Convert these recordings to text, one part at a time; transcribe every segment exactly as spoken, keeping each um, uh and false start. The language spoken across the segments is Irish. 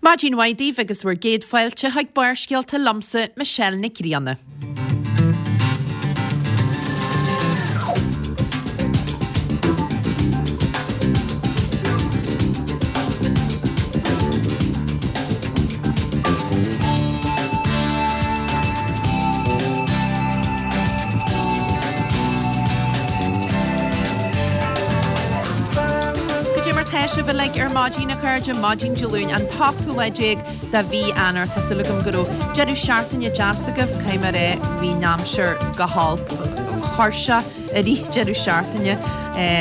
Maidin mhaith daoibh agus bhur gcéad fáilte chuig Barrscéalta liomsa Michelle Nic Grianna. Goidé mar tá sibh uilig ar maidin a chairde maidin Dé Luain an t-ochtú lá déag de mhí Eanáir Tá súil agam go raibh deireadh seachtaine deas agaibh caithfidh mé a rá bhí an aimsir go holc tuirseach i rith deireadh seachtaine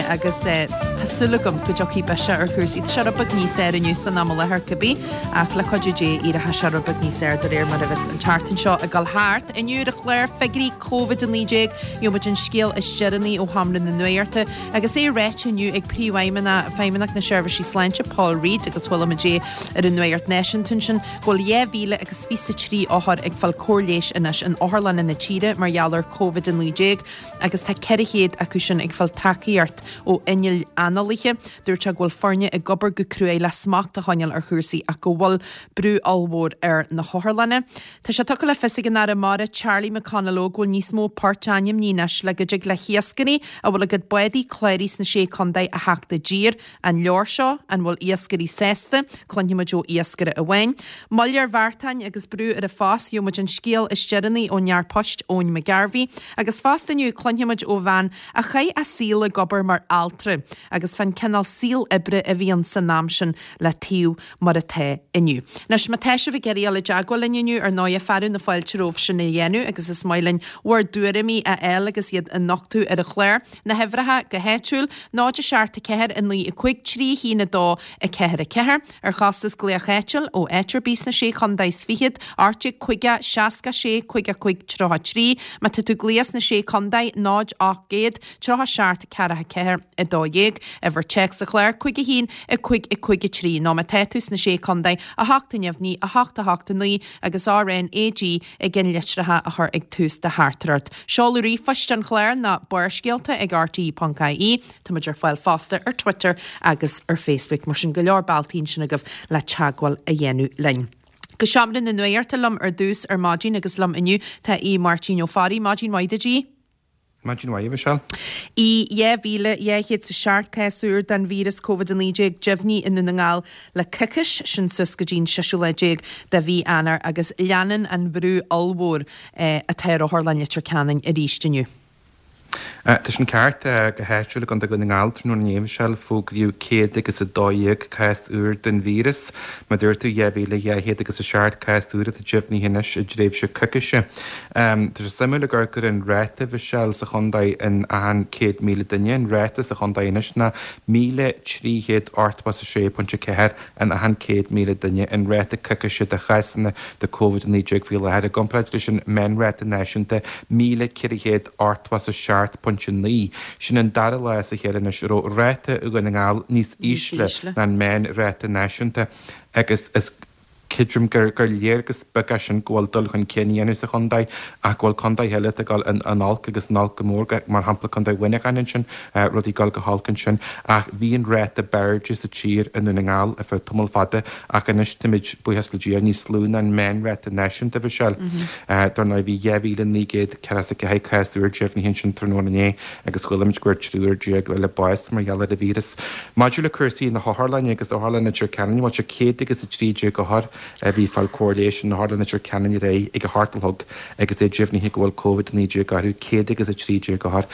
agus tá súil agam go dtiocfaidh biseach ar chúrsaí. Tá sé rud beag níos fearr inniu san am i láthair cibé ach le cuidiú Dé éireoidh sé rud beag níos fearr de réir mar a bheas an tseachtain seo ag dul thart. Inniu ar an chlár figiúirí Covid a naoi déag, gheobhaidh muid an scéal is deireanaí ó Sheomra na Nuachta agus é ráite inniu ag Príomhfheidhmeannach Feidhmeannacht na Seirbhísí Sláinte Paul Reid agus chuala muid é ar an Nuacht Náisiúnta ansin go bhfuil dhá mhíle agus fiche a trí othar ag fáil cóir leighis anois in otharlanna na tíre mar gheall ar Covid a naoi déag agus tá ceithre chéad acu sin ag fáil tacaíocht ó innill análaithe. Dúirt sé go bhfuil foirne ag obair go cruaidh le smacht a choinneáil ar chúrsaí ach go bhfuil brú ollmhór ar na hotharlanna. Tá sé tugtha le fios ag an Aire Mara Charlie McConalogue go bhfuil níos mó poirt ainmnithe anois le go dtig le hiascairí a bhfuil a gcuid bádaí cláraithe sna sé contae a theacht i dtír. An leor seo? An bhfuil iascairí sásta? Cluinfimid ó iascaire amháin. Moill ar bheartáin agus brú ar an phost, gheobhaimid an scéal is deireanaí ón fhear poist Eoin McGarvey. Agus fosta inniu cluinfimid ó bhean a chaith a saol ag obair mar altra agus fán cineál saol oibre a bhí ann san am sin le taobh mar atá inniu. Anois má tá sibh ag iarraidh dul i dteagmháil linn inniu ar ndóigh fearadh na fáilte romhaibh sin a dhéanamh agus is maith linn bhur dtuairimí a fháil agus iad a nochtadh ar an chlár. Na huimhreacha go háitiúil, náid a seacht a ceathair a naoi a cúig trí a haon a dó a ceathair a ceathair, ar chostas glaoch áitiúil ó áit ar bith sna sé chontae is fichead, ocht déag caoga seasca sé caoga cúig tríocha trí, má tá tú ag glaoch sna sé chontae, náid ocht gcéad tríocha seacht ceathracha ceathair a dó dhéag, uimhir téacs an chláir, cúig a haon a cúig a cúig a trí, nó má tá tú sna sé chontae, a hocht a neamhní, a hocht a hocht a naoi agus R N A G i gceannlitreacha a chur ag tús do theachtaireacht. Seoladh ríomhphoist an chláir ná barrscéalta ag R T E ponc I E. Táimid ar fáil fosta ar Twitter agus ar Facebook, mar sin go leor bealtaí ansin agaibh le teagmháil a dhéanamh linn. Go Seomra na Nuachta liom ar dtús ar maidin agus liom inniu tá Aodh Máirtín Ó Fearraigh. Maidin mhaith duit, Aodh. Maidin mhaith, a Mhichelle. Aodh, dhá mhíle dhá chéad is a seacht cás úr den víreas Covid a naoi déag deimhnithe i nDún na nGall le coicís, sin suas go dtí an seisiú lá déag de mhí Eanáir agus leanann an brú ollmhór atá ar Otharlann Leitir Ceanainn arís inniu. Tá sin ceart. Go háitiúil i gContae Dhún na nGall tráthnóna inné, a Mhichelle, fógraíodh céad agus a dó dhéag cás úr den víreas. Mar a dúirt tú, dhá mhíle dhá chéad agus a seacht cás úr atá deimhnithe anois i dtréimhse coicíse. Tá sé suimiúil ag amharc ar an ráta, a Mhichelle, sa chontae in achan céad míle duine. An ráta sa chontae anois ná míle trí chéad ochtó is a sé pointe ceathair in achan céad míle duine, an ráta coicíse de chásanna de Covid a naoi déag faoi láthair, i gcomparáid leis an meánráta náisiúnta, míle ceithre chéad ochtó is a seacht pointe naoi. Sin an dara lá as a chéile anois a raibh ráta Dhún na nGall níos ísle ná an meánráta náisiúnta agus is creidim gur gur léargas beag é sin go bhfuil dul chun cinn á dhéanamh sa chontae ach go bhfuil contaetha eile atá ag dul in in olc agus in olc go mór, mar shampla Contae Mhuineacháin ansin, rudaí ag dul go holc ansin. Ach bhí an ráta b'airde sa tír i nDún na nGall ar feadh tamall fada ach anois táimid, buíochas le Dia, níos lú ná an meánráta náisiúnta, a Mhichelle. Dar ndóigh bhí dhá mhíle naoi gcéad ceathracha is a ceathair cás úr deimhnithe ansin tráthnóna inné agus chuala muid go bhfuair triúr déag eile bás mar gheall ar an víreas. Maidir le cúrsaí na hotharlainne agus Otharlann Leitir Ceanainn, bhuel sé céad agus a trí déag othar a bhí ag fáil cóir leighis in Otharlann Leitir Ceanainn aréir ag a hocht a chlog agus é deimhnithe go bhfuil Covid a naoi déag orthu, céad agus a trí déag othar.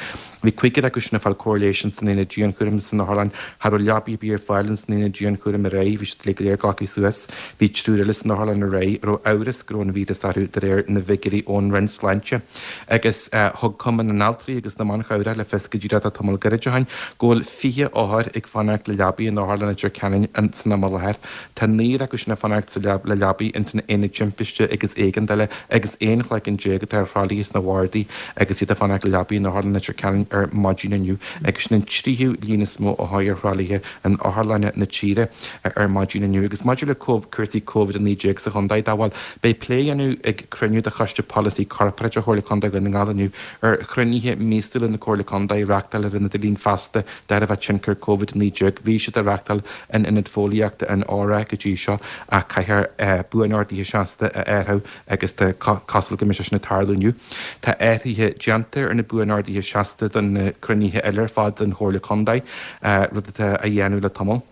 Bhí cúigear acu sin ag fáil cóir leighis ins an aonad dianchúraim san otharlann. Cha raibh leabaí ar bith ar fáil ins an aonad dianchúraim aréir, bhí siad uilig go léir glactha suas. Bhí triúr eile san otharlann aréir a raibh amhras go raibh an víreas orthu de réir na bhfigiúirí ón Roinn Sláinte. Agus thug Cumann na nAltraí agus na mBan Chabhrach le fios go díreach tá tamall gairid ó shin go bhfuil fiche othar ag fanacht le leabaí in Otharlann Leitir Ceanainn san am i láthair. Tá naonúr acu sin ag fanacht sa leabaí le leabaí ins na haonaid timpiste agus éigeandála agus aon chloigeann déag atá ar thralaithe sna bardaí agus iad ag fanacht le leabaí in Otharlann Leitir Ceanainn ar maidin inniu agus sin an tríú líon is mó a chuaigh ar thralaithe in otharlanna na tíre ar maidin inniu. Agus maidir le cúrsaí Covid a naoi déag sa chontae dá bhfuil, beidh plé á dhéanamh ag cruinniú de Choiste Polasaí Corparáideach Chomhairle Contae Dhún na nGall inniu ar chruinnithe míosúla na Comhairle Contae a reáchtáil ar an idirlíon feasta de thairbhe tionchar Covid a naoi déag. Bhí siad á reáchtáil in Ionad Fóillíochta an Óra go dtí seo ach caithfear buanorduithe seasta a áirithiú agus tá cosúil go mbeidh sé sin ag tarlú inniu. Tá athruithe déanta ar na buanorduithe seasta do na cruinnithe eile ar fad den Chomhairle Contae, rud atá á dhéanamh le tamall.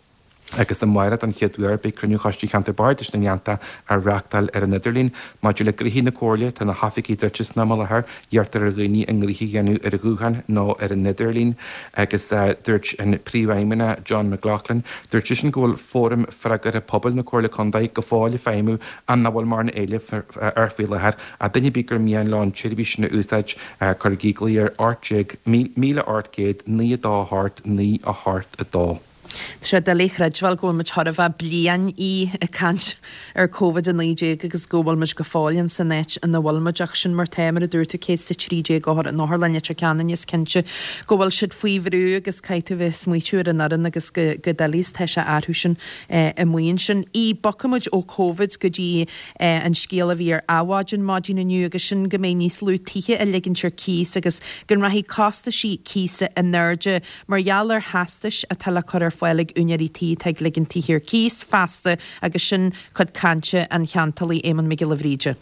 Agus amárach don chéad uair beidh cruinniú Choiste Cheantar Bardais na nGleannta á reáchtáil ar an idirlíon. Maidir le gnoithí na Comhairle, tá na hoifigí druidte san am i láthair, iarrtar ar dhaoine a ngnoithe a dhéanamh ar ghuthán nó ar an idirlíon. Agus dúirt an Príomhfheidhmeannach John McLaughlin, dúirt seisean go bhfuil Fóram Freagartha Pobail na Comhairle Contae go fóill ag feidhmiú ach nach bhfuil mórán éilimh air faoi láthair. Ach duine ar bith gur mian leo an tseirbhís sin a úsáid, cuirigí glao ar ocht déag míle ocht gcéad naoi a dó a hocht naoi a hocht a dó. Tá sé doiligh a chreidbheáil go bhfuil muid chóir a bheith bliain í ag caint ar Covid a naoi déag agus go bhfuil muid go fóill in san áit ina bhfuil muid ach sin mar tá, mar a dúirt tú, céad is a trí déag othar in Otharlann Leitir Ceanainn is cinnte go bhfuil siad faoi bhrú agus caithfidh tú a bheith ag smaoitiú ar an fhoireann agus go go doiligh is tá sé orthu sin amuigh ansin. Í, Bogfaidh muid ó Covid go dtí an scéal a bhí ar Adhmhaidin maidin inniu agus sin go mbeidh níos lú tithe á ligint ar cíos agus go rachaidh costaisí cíosa in airde mar gheall ar theastais atá le cur ar fáil ag úinéirí tí atá ag ligean tithe ar cíos feasta agus sin cuid cainte an cheantálaí Éamonn Mac Giolla Bhríde.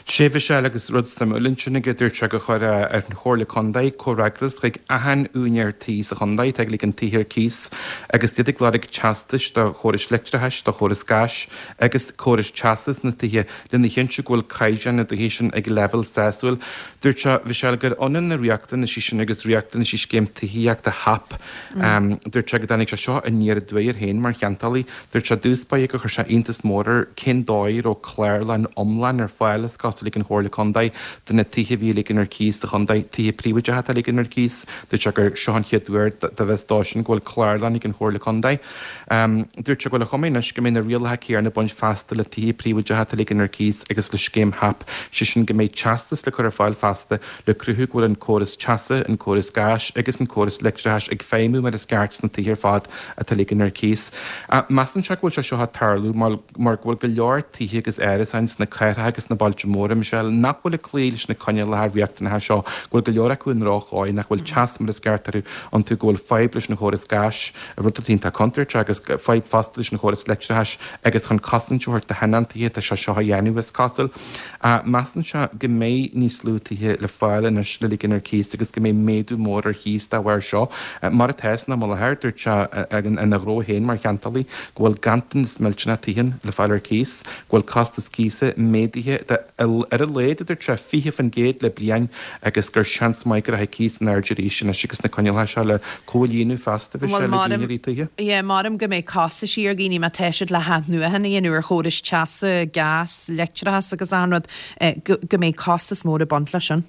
Sea, a Mhichelle agus rud suimiúil ansin aige, dúirt sé gur chuir an Chomhairle Contae comhfhreagras chuig achan úinéir tí sa chontae atá ag ligean tithe ar cíos agus iad ag lorg teastais do chórais leictreachais, do chóras gáis agus córais teasa sna tithe lena chinntiú go bhfuil caighdeán na dtithe sin ag leibhéal sásúil. Dúirt sé, Michelle, gur ionann na riachtanaisí sin agus riachtanaisí scéim tithíochta HAP. Dúirt sé go dtáinig sé seo aniar aduaidh air féin mar cheantálaí. Dúirt sé i dtús báire gur chuir sé iontas mór air cén dóigh a raibh clárlann iomlán ar fáil is cosúil ag an Chomhairle Contae do na tithe a bhí á ligean ar cíos sa chontae, tithe príobháideacha atá á ligean ar cíos. Dúirt sé gur seo an chéad uair dá bhfios dó sin go bhfuil clárlann ag an Chomhairle Contae. Dúirt sé go bhfuil an chuma anois go mbeidh na rialacha céanna ag baint feasta le tithe príobháideacha atá á ligean ar cíos agus le scéim HAP, sé sin go mbeidh teastas le cur ar fáil feasta le cruthú go bhfuil an córas teasa, an córas gáis agus an córas leictreachais ag feidhmiú mar is ceart sna tithe ar fad atá á ligean ar cíos. Measann sé go bhfuil sé seo ag tarlú mar go bhfuil go leor tithe agus árasáin sna cathracha agus sna bailte móra, Michelle, nach bhfuil ag cloí leis na coinníollacha riachtanacha seo, go bhfuil go leor acu i ndrochdhóigh, nach bhfuil teas mar is ceart orthu iontu, go bhfuil fadhb leis an chóras gáis, rud atá iontach contúirteach, agus fadhb fosta leis an chóras leictreachais agus chun cosaint a thabhairt do thionóntaithe atá sé seo á dhéanamh, is cosúil. Measann sé go mbeidh níos lú tithe le fáil anois le ligean ar cíos agus go mbeidh méadú mór ar chíos dá bharr seo. Mar atá san am i láthair, dúirt sé ina ghnó féin mar cheantálaí go bhfuil ganntanas millteanach tithe le fáil ar cíos, go bhfuil costas cíosa méadaithe de ar a laghad, a dúirt sé, fiche faoin gcéad le bliain agus gur seans maith go rachaidh cíos in airde arís anois agus na coinníollacha seo le comhlíonadh feasta, bhí sé le úinéirí tithe. Yeah, maram go mbeidh costaisí ar dhaoine má tá siad le hathnuachan a dhéanamh ar chórais teasa, gás, leictreachas agus achan rud, go go mbeidh costas mór ag baint leis sin.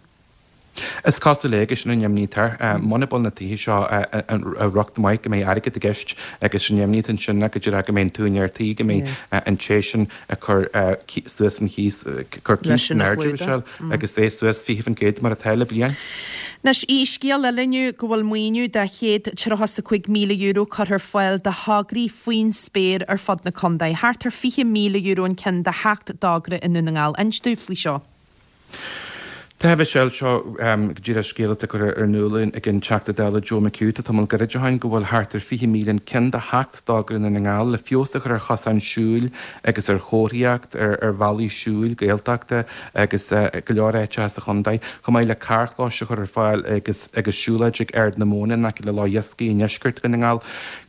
Is cosúil é agus sin an imní atá air. Muna bhfuil na tithe seo i riocht maith go mbeidh airgead i gceist agus sin imní atá ansin ná go díreach go mbeidh an t-úinéir tí, go mbeidh an té sin ag cur suas an chíos, cur Leis cíos in sin a airde, chlúdach. Michelle, agus é suas fiche faoin gcéad mar atá le bliain. Anois, í, scéal eile inniu go bhfuil maoiniú de chéad tríocha is a cúig míle euro curtha ar fáil do thograí faoin spéir ar fud na contae. Thart ar fiche míle euro an ceann do sheacht dtogra i nDún na nGall. Inis dúinn faoi seo. Tá, a Mhichelle, seo go díreach scéal atá curtha in iúl ag an Teachta Dála Joe McHugh. Tá tamall gairid ó shin go bhfuil thart ar fiche míle an ceann do sheacht dtogra i nDún na nGall le feabhas a chur ar chosáin siúil agus ar chomharthaíocht, ar bhealaí siúil Gaeltachta agus go leor áiteacha sa chontae, chomh maith le carrchlóis a chur ar fáil agus agus siúlóid ag Ard na Móna in aice le Loch Iascaigh i ndeisceart Dhún na nGall.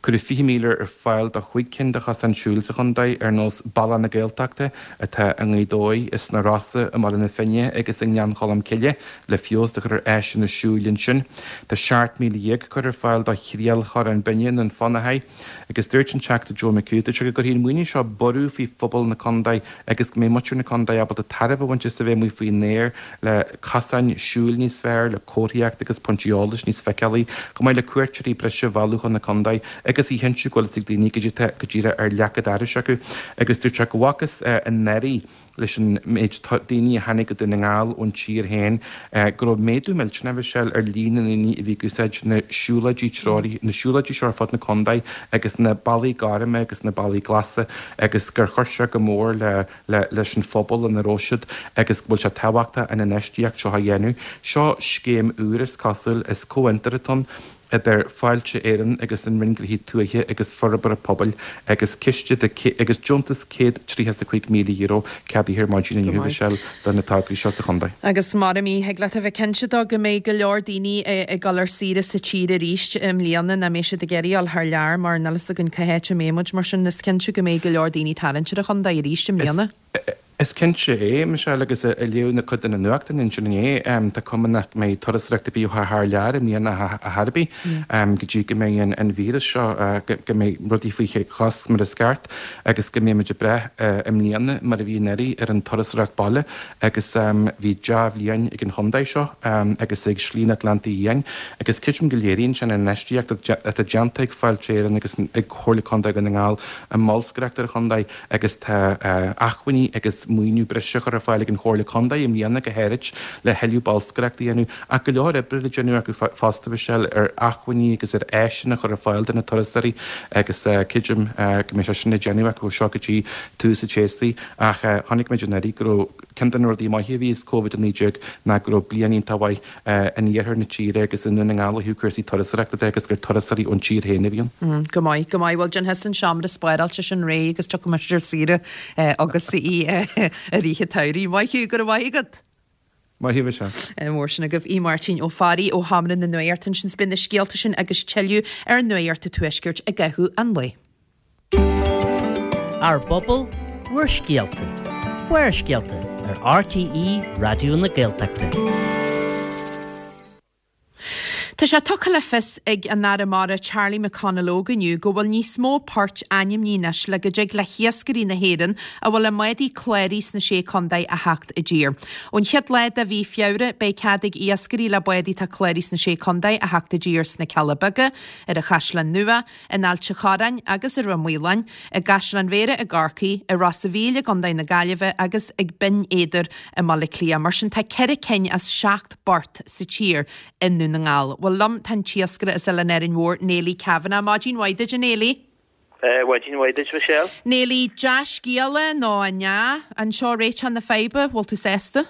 Cuireadh fiche míle ar fáil do chúig cinn de chosáin siúil sa chontae, ar nós Bealach na Gaeltachta, atá i nGaoth Dobhair, sna Rosa, i mBaile na Finne agus i nGleann Cholm Cholm Cille le feabhas a chur ar áiseanna siúil ansin. Tá seacht míle dhéag curtha ar fáil do Thriail Chorrán Binne i nDún Fionnachaidh agus dúirt an Teachta Joe McHugh dúirt sé go gcuirfidh an maoiniú seo borradh faoi phobal na contae agus go mbeidh muintir na contae ábalta tairbhe a bhaint as a bheith amuigh faoin aer le cosáin siúil níos fearr, le comharthaíocht agus pointí eolais níos feiceálaí, chomh maith le cuairteoirí breise a mhealladh chun na contae agus a chinntiú go bhfuil fhios ag daoine goidé atá go díreach ar leac an dorais acu. Agus dúirt sé go bhfacthas anuraidh leis an méid daoine a tháinig go Dún na nGall ón tír féin, go raibh méadú millteanach, a Mhichelle, ar líon na ndaoine a bhí ag úsáid na siúlóidí treoraithe, na siúlóidí seo ar fud na contae agus na bealaí gorma agus na bealaí glasa agus gur chuir sé go mór le le leis an phobal ina raibh siad agus go bhfuil sé tábhachtach an infheistíocht seo a dhéanamh. Seo scéim úr is cosúil, is comhfhiontar atá ann. idir Fáilte Éireann agus an Roinn Gnóthaí Tuaithe agus Forbartha Pobail agus ciste de agus deontas céad tríocha is a cúig míle euro ceadaithe ar maidin inniu, a Mhichelle, do na tograí seo sa chontae. Agus mar a mí, thig leat a bheith cinnte de go mbeidh go leor daoine ag dul ar saoire sa tír arís i mbliana, nach mbeidh siad ag iarraidh dul thar lear mar níl fhios againn cá háit a mbeidh muid, mar sin is cinnte go mbeidh go leor daoine ag tarraingt ar an chontae arís i mbliana. Is cinnte é, Michelle, agus ag léamh na cuid de na nuachtáin ansin inné, tá cuma nach mbeidh turasóireacht ar bith ó thar lear i mbliana ar chor ar bith go dtí go mbeidh an víreas seo, go mbeidh rudaí faoi chosc mar is ceart agus go mbeidh muid ag brath i mbliana mar a bhí anuraidh ar an turasóireacht baile agus bhí dea-bhliain ag an chontae seo agus ag Slí an Atlantaigh Fhiáin agus creidim go léiríonn sin an infheistíocht atá déanta ag Fáilte Éireann agus ag Comhairle Contae Dhún na nGall i mbolscaireacht ar an chontae agus tá acmhainní agus maoiniú breise á chur ar fáil ag an Chomhairle Contae i mbliana go háirid le thuilleadh bolscaireachta a dhéanamh ach go leor oibre le déanamh acu fosta, Michelle, ar acmhainní agus ar áiseanna a chur ar fáil do na turasóirí agus creidim go mbeidh sé sin le déanamh acu ó seo go dtí tús an tséasúir ach chonaic muid anuraidh go raibh ceann de na rudaí maithe a bhí as Covid a naoi déag ná go raibh bliain iontach mhaith in iarthar na tíre agus i nDún na nGall ó thaobh cúrsaí turasóireachta de agus gur turasóirí ón tír féin a bhí ann. Go maith, go maith. Bhuel, déanfaidh thusa an seomra spáráilte sin réidh agus tiocfaidh mise ar saoire agus í i rith an tsamhraidh. Maith thú, go raibh maith agat. Maith thú, Michelle. Mór sin agaibh Aodh Máirtín Ó Fearraigh ó Sheomra na Nuachta ansin. Beidh na scéalta sin agus tuilleadh ar Nuacht an Tuaiscirt i gcaitheamh an lae. Ár bpobal, bhur scéalta. Barrscéalta ar RTÉ Raidió na Gaeltachta. Tá sé tugtha le fios ag an Aire Mara Charlie McConalogue inniu go bhfuil níos mó poirt ainmnithe anois le go dtig le hiascairí na hÉireann a bhfuil a mbádaí cláraithe sna Sé Contae a theacht i dtír. Ón chéad lá de mhí Feabhra beidh cead ag iascairí le bádaí atá cláraithe sna Sé Contae a theacht i dtír sna Cealla Beaga, ar an Chaisleán Nua, in Ailt an Chorráin agus i Ráth Maoláin, i gCaisleán Bhéarra i gCorcaigh, i Ros a' Mhíl i gContae na Gaillimhe agus ag Binn Éadair i mBaile Átha Cliath. Mar sin tá ceithre cinn as seacht bport sa tír i nDún na nGall. Bhuel liom tá an t-iascaire as Oileán Árainn Mhór, Neilí Kavanagh. Maidin mhaith duit, a Neilí. Maidin mhaith duit, Michelle. Neilí, dea-scéala nó an ea? An seo réiteach na faidhbe? Bhfuil tú sásta?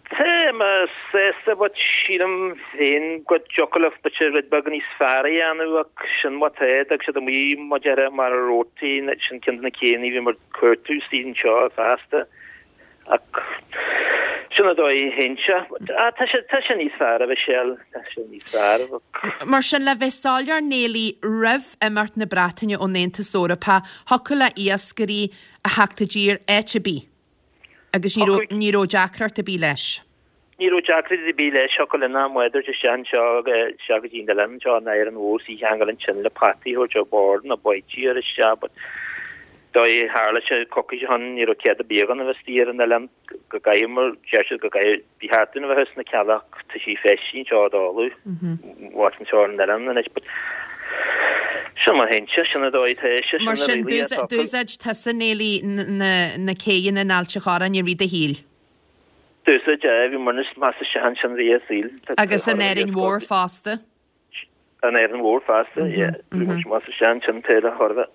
Tá mé sásta but sílim féin go dtiocfadh leo b'fhéidir rud beag níos fearr a dhéanamh ach sin mar atá, d'fhág siad amuigh mar a déarfá mar a rabhtí, sin ceann de na céanna a bhí mar cuartú istigh anseo feasta. Ach sin an dóigh a théann sé. Ah, tá sé, tá sé níos fearr, a Mhichelle, tá sé níos fearr. Mar sin, le bheith soiléir, Neilí, roimh imeacht na Breataine ón Aontas Eorpach, thiocfadh le iascairí a theacht i dtír áit ar bith agus ní raibh, ní raibh deacracht ar bith leis. Ní raibh deacracht ar bith leis, thiocfadh linn ár mbáid a thabhairt isteach anseo, isteach go dtí an oileán anseo in Árainn Mhór, is í a cheangal ansin le potaí a thabhairt ar bord nó báidí a chur isteach, but dóigh a tharla sé coicís ó shin, ní raibh cead ar bith againn a bheith istigh ar an oileán, go gcaithfidh mar deir siad go gcaithfidh, ba cheart dúinn a bheith sna Cealla ach tá sí feistithe anseo i dtólamh, bhfad anseo ar an oileán anois, but sin mar a théann sé, sin an dóigh atá sé, sin Mar na sin, rialacha atá acu. d'úsáid tusa, Neilí, na céidheanna in Ailt an Chorráin i rith do shaoil? D'úsáid, aye, bhí muid meas isteach ansin i rith an tsaoil. Agus in Árainn Mhór fosta? An Árainn Mhór fosta, yeah. Bhí muid más a sean sin taobh le thairbhe.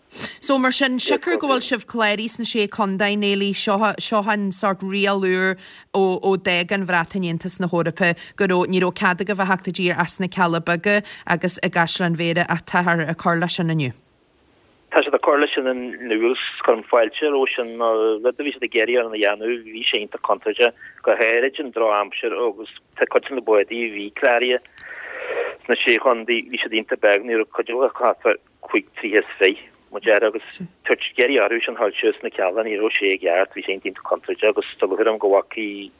So mar sin, siocair go bhfuil sibh cláraithe sna Sé Contae, Neilí, seo, seo an sórt riail úr ó, ó d'fhág an Bhreatain Aontas na hEorpa, go raibh, ní raibh cead agaibh a theacht i dtír ach sna Cealla Beaga agus i gCaisleán Bhéarra ach táthar ag cur leis sin inniu. Tá siad ag cur leis sin inniu agus cuirim fáilte roimhe sin mar rud a bhí siad ag iarraidh orainn a dhéanamh, bhí sé iontach contúirteach, go háirid an drochaimsir agus tá cuid de na bádaí a bhí cláraithe sna Sé Chontae, bhí siad iontach beag, ní raibh cuid acu thart fá cúig troigh is fiche, mar a déarfá, agus tabhairt ag iarraidh orthu sin dhul suas sna Cealla, ní raibh sé i gceart, bhí sé iontach contúirteach agus tá lúcháir orm go bhfacaí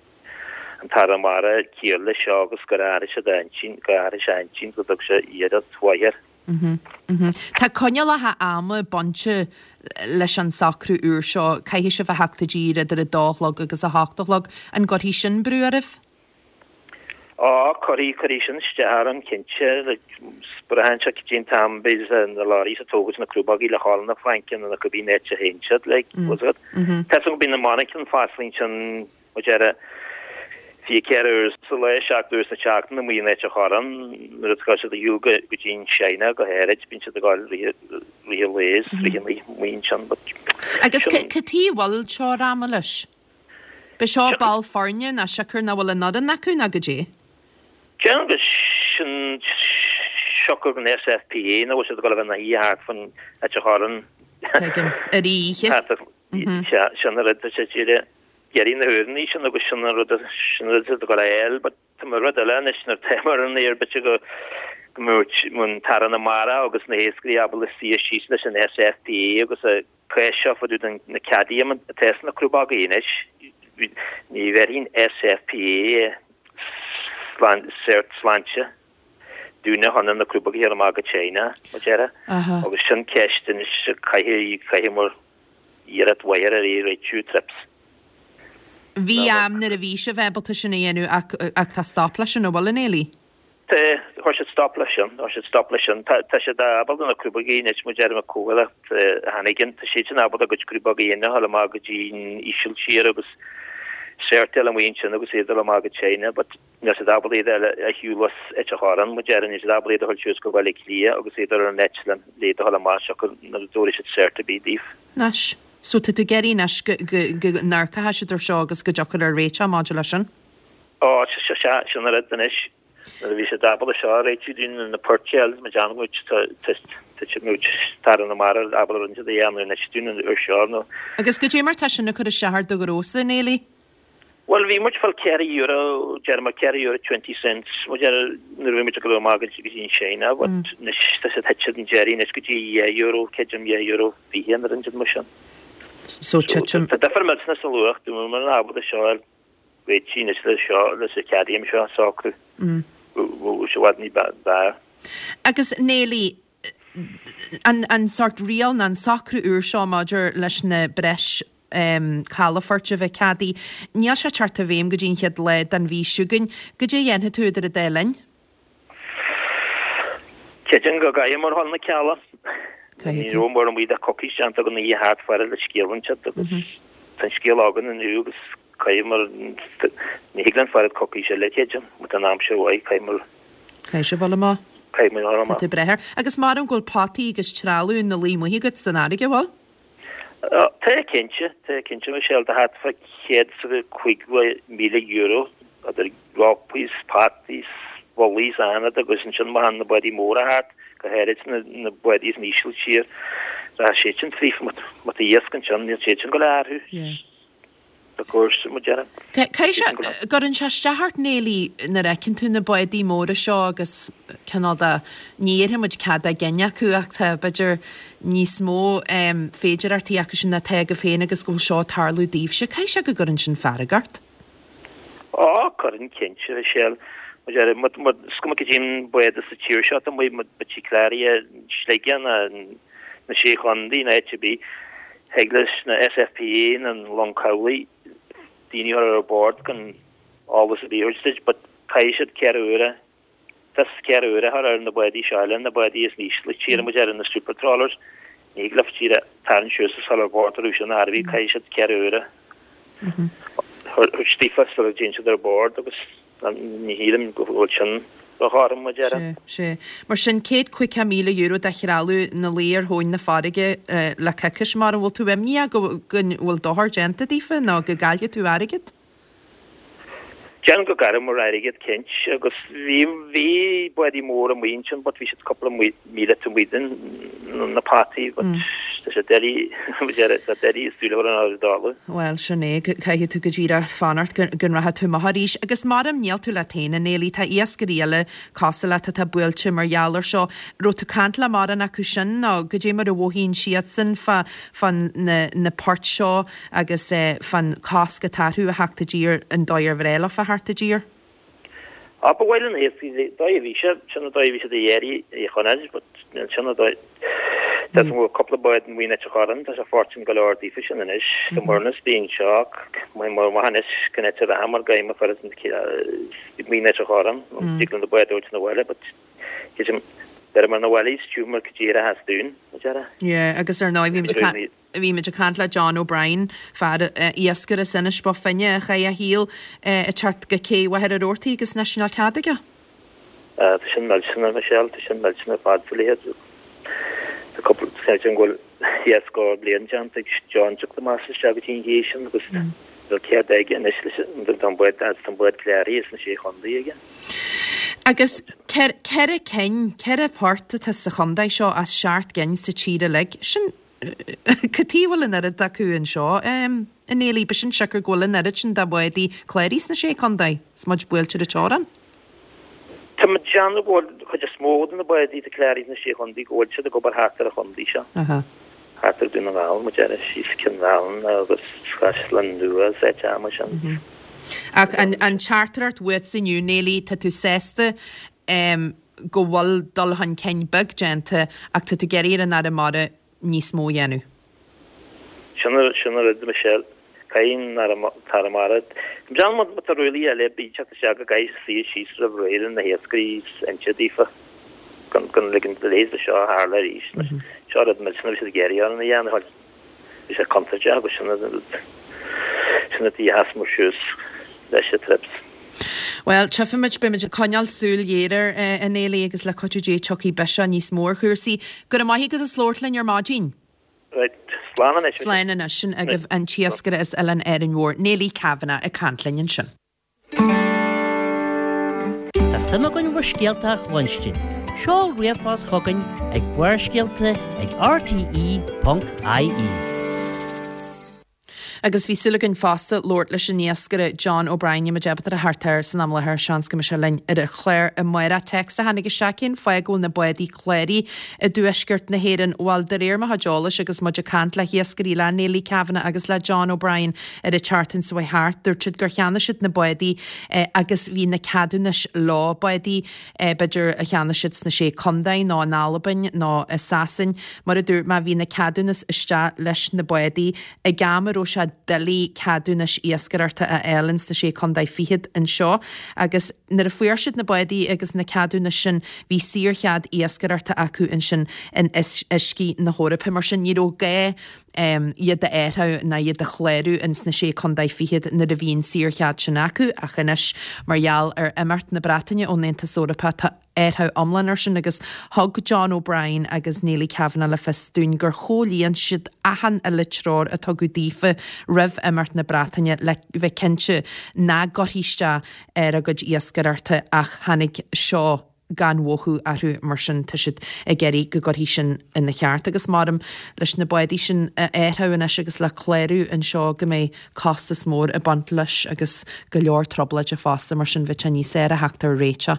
an tAire Mara ciall leis seo agus gur athraigh siad a intinn, gur athraigh sé a intinn go dtug sé iarracht mhaith air. Tá coinníollacha ama bainte leis an socrú úr seo, caithfidh sibh a theacht i dtír idir a dó a chlog agus a hocht a chlog. An gcuirfidh sin brú oraibh? Á, cuirfidh, cuirfidh sin isteach orainn, cinnte. Like, braitheann sé cad é an t-am beidh na lorries ag tógaint na crúbógaí le dhul na Fraince nó na cibé áit a théann siad, like, was it? Tá 's agam go mbíonn na monarchana foscailte ansin, mar a déarfá, fiche ceithre uair sa lá, seacht uair sa tseachtain amuigh in Ailt an Chorráin, nuair atá siad ag shiúl go dtí an China go háirid, bíonn siad ag dul rith rith an lae is rith an oíche amuigh ansin but Agus cad chuige a bhfuil teorainn ama leis? B'é seo ball foirne ná siocair nach bhfuil an fhoireann acu ná goidé? Déarfainn go sin siocair den SFPA nach bhfuil siad ag dul a bheith ina shuí thart fan Ailt an Chorráin. Tuigim. Ar oíche. Sin an rud tá siad ag iarraidh na huaireanna sin agus sin an rud sin an rud atá ag dul a fháil but tá mar rud eile anois nuair atá mar an aer b'fhéidir go go mbeadh an tAire na Mara agus na hiascairí ábalta suí síos leis an SFPA agus a cás seo fá dtaobh den na ceadaí atá sna crúbógaí anois ní bhéarfaidh an SFPA cert sláinte dúinne chun na crúbógaí a chur amach go China mar a déarfá agus sin ceist anois caithfidh caithfidh muid iarracht mhaith ar é a réitiú trips. Bhí am nuair a bhí sibh ábalta sin a dhéanamh ach ach tá stop leis sin, an bhfuil, a Néilí? Tá, chuir siad stop leis sin, chuir siad stop leis sin. Tá tá siad ábalta na crúbógaí anois mar a déarfá comhlacht Hannigan, tá siad sin ábalta a gcuid crúbógaí a dhéanamh a dhul amach go dtí an Ísiltír agus cert eile amuigh ansin agus iad a dhul amach go China but níl siad ábalta iad a shiúl as Ailt an Chorráin mar a déarfá, níl siad ábalta iad a dhul suas go Baile Átha Cliath agus iad ar an eitleán le iad a dhul amach siocair nuair a dtabharfaidh siad cert ar bith daoibh. Anois, so tá tú ag iarraidh anois go go go n-amharcfaidh siad ar seo agus go dtiocfar ar réiteach maidir leis sin? Ó, sea, sin an rud anois. Nuair a bhí siad ábalta seo a réitiú dúinn na poirtéil, mar déanann muid, tá tá muid tAire na Mara ábalta rud a dhéanamh anois dúinn an uair seo nó. Agus goidé mar tá sin ag cur isteach ar do ghnósa, a Néilí? Bhuel, bhí muid ag fáil ceithre euro, déarfaidh mé ceithre euro twenty cents, mar a déarfá nuair a bhí muid ag dul amach go dtí an China, but anois tá siad tite den deireadh anois go dtí dhá euro, creidim dhá euro fiche nó rud mar sin. So titim. Tá difear millteanach sa luach, dá mbeadh muid ábalta seo a réitiú anois le seo, leis an ceadaím seo a socrú, bheadh sé i bhfad ní b'fhearr. Agus Néilí, an an sórt riail nó an socrú úr seo maidir leis na breis calafoirt a bheith ceadaithe. Níl sé ag teacht i bhfeidhm go dtí an chéad lá den mhí seo chugainn. Goidé a dhéanfaidh tú idir an dá linn? Creidim go gcaithfidh muid a dhul na cealla. Caithfidh Ní tú. raibh mórán amuigh de coicís déanta againn oíche thart faire le scéal inse agus tá an scéal againn inniu agus caithfidh muid, ní thig linn fanacht coicís eile creidim, má tá an aimsir mhaith, caithfidh muid. Caithfidh sibh dul amach. Caithfidh muid dul Tá amach. tú breith air. Agus maram go bhfuil potaí agus trealamh ina luí amuigh agat san fharraige, bhfuil? Tá cinnte, tá cinnte, Michelle, tá thart fá céad is cúig mhíle euro idir rópaí 's potaí 's bullaí 's anáid agus ansin má théann na bádaí móra thart, go háirid na na bádaí as an Ísiltír, tá siad sin fríofa, má tá iasc ansin, níl siad sin ag gabháil a athrú. Of course, mar a déarfá. Caithfidh sé, gcuireann sé isteach ort Néilí nuair a fheiceann tú na bádaí móra seo agus cineál de, ní iarrfaidh muid cead dá gcinn acu ach tá b'fhéidir níos mó féidireachtaí acu sin ná atá agaibh féin agus go bhfuil seo ag tarlú daoibhse. Caithfidh sé go gcuireann sin fearg ort. Á, cuireann cinnte, Michelle. Mar a déarfá, má, má, is cuma cad é an bád as an tír seo atá amuigh, má tá sí cláraithe i Sligeach ná na Sé Chontae ná áit ar bith, Thig leis na SFPA nó an Long Cabhlaigh daoine a chur ar bord gan eolas ar bith a thabhairt duit but caithfidh siad ceithre huaire, fios ceithre huaire a chur ar na bádaí seo eile, na bádaí as an Ísiltír, mar a déarfá na super trawlers, ní thig leofa díreach tarraingt suas is dul ar bord orthu sin ar bith, caithfidh siad ceithre huaire a thabhairt daofa sula dtéann siad ar bord agus Ní shílim go bhfuil sin róchothrom, mar a déarfá. Sea, sea. Mar sin, céad caoga míle euro de threalamh ina luí ar thóin na farraige le coicís, mar an bhfuil tú imníoch go bhfuil dochar déanta daofa nó go gcaillfidh tú airgead? Déarfainn go gcaillfidh muid airgead, cinnte, agus bhí, bhí bádaí móra amuigh ansin but bhí siad cúpla míle taobh amuigh den na potaí but Tá sé doiligh, tá doiligh súil a chur ar an dála. Bhuel, sin é, caithfidh tú go díreach fanacht go rachaidh tú amach arís. Agus maram níl tú leat féin, a Néilí, tá iascairí eile cosúil leat atá buailte mar gheall ar seo. Raibh tú ag caint le mórán acu sin nó goidé mar a mhothaíonn siadsan fá fá na na poirt seo agus fán cosc atá orthu a theacht i dtír, an dóigh ar bhreá leofa theacht i dtír? Á, ba mhaith le na hiascairí, dóigh a bhí sé, sin an dóigh a bhí siad ag iarraidh é a choinneáil, but sin an dóigh, tá an cúpla bád in Muigh Leitir Chorann, tá sé fortune go leor daofa sin anois, tá muirneas bíonn seo, mar maith anois go n-eite reatha mar gaim a chuir Muigh Leitir Chorann, dtig linn na báid a thabhairt 'na bhaile, but beirim ar na bhaile, is cuma cad é a theas dúinn, a deara. Yeah, agus ar ndóigh bhí muid ag bhí muid ag caint le John O'Brien, fear iascaire as Inis Bó Finne a chaith a shaol ag teacht go cé Mhachaire Rabhartaigh agus anois níl cead aige. Tá sin millteanach, Michelle, tá sin millteanach ar fad sa leithéid. Tá cúpla, creidim go bhfuil dhá scór bliain déanta ag John teacht amach isteach go dtí an ché sin agus níl cead aige anois leis an tá an bád tá an bád cláraithe sna Sé Chontae aige. Agus ceithre cinn, ceithre phort atá sa chontae seo as seacht gcinn sa tír uilig. Sin, cad chuige a bhfuil an oiread acu anseo, a Néilí? B'shin siocair go bhfuil an oiread sin de bhádaí cláraithe sna Sé Chontae is muid buailte ar an teorainn. Tá mé ag déanamh go bhfuil an chuid is mó de na bádaí atá cláraithe sna Sé Chontae go bhfuil siad ag obair thart ar an chontae seo. Thart ar Dún na nGall, mar a déarfá, síos Cionn Mheálanna agus Caisleán Nua is áit mar sin. Ach an teachtaireacht uait inniu, Néilí, tá tú sásta go bhfuil dul chun cinn beag déanta ach tá tú ag iarraidh ar an Aire Mara níos mó a dhéanamh. Sin an rud, Michelle. Caithfidh an tAire Mara. Déanaim má tá rialacha eile ag teacht isteach go gcaithfidh suí síos roimh ré le na hiascairí is inse daofa gan gan ligean do leithéid de seo a tharla arís. Seo rud millteanach a bhí siad ag iarraidh orainn a dhéanamh. Bhí sé contúirteach agus sin an rud sin an tuige a sheas muid suas leis an trips. Bhuel, tchífimid, beimid ag coinneáil súil ghéar air, a Néilí, agus le cuidiú Dé tiocfaidh biseach níos mó ar chúrsaí. Go raibh maith agat as labhairt linn ar maidin. Right, slán anois. Slán anois. Sin agaibh an t-iascaire as Oileán Árainn Mhór, Néilí Kavanagh, ag caint linn ansin. Tá suim againn bhur scéalta a chluinstin. Seol ríomhphost chugainn ag Barrscéalta ag rte ponc ie. Agus bhí súil againn fosta labhairt leis an iascaire John O'Brien, níl muid ábalta a theacht air san am i láthair, seans go mbeidh sé linn ar an chlár amárach. Téacs a tháinig isteach cén fáth go bhfuil na bádaí cláraithe i dtuaisceart na hÉireann? Bhuel, de réir mo chuid eolais agus muid ag caint le hiascairí, le Neilí Kavanagh agus le John O'Brien ar an tseachtain seo chuaigh thart, dúirt siad gur cheannaigh siad na bádaí agus bhí na ceadúnais leo, bádaí b'fhéidir a cheannaigh siad sna Sé Contae nó in Albain nó i Sasain. Mar a dúirt mé, bhí na ceadúnais isteach leis na bádaí ag am a raibh sé doiligh ceadúnais iascaireachta a fháil ins na Sé Contae Fichead anseo agus nuair a fuair siad na bádaí agus na ceadúnais sin bhí saorchead iascaireachta acu ansin in uiscí na hEorpa. Mar sin ní raibh gá iad a athrú ná iad a chlárú ins na Sé Contae Fichead nuair a bhí an saorchead sin acu ach anois mar gheall ar imeacht na Breataine ón Aontas Eorpach tá athrú iomlán air sin agus thug John O'Brien agus Neilí Kavanagh le fios dúinn gur chomhlíon siad achan uile treoir a tugadh daofa roimh imeacht na Breataine le bheith cinnte nach gcuirfí isteach ar a gcuid iascaireachta ach tháinig seo gan mhothú orthu mar sin tá siad ag iarraidh go gcuirfí sin ina cheart agus maram leis na bádaí sin a athrú anois agus le clárú anseo go mbeidh costas mór ag baint leis agus go leor trioblóide fosta mar sin bheadh sé níos fearr a theacht ar réiteach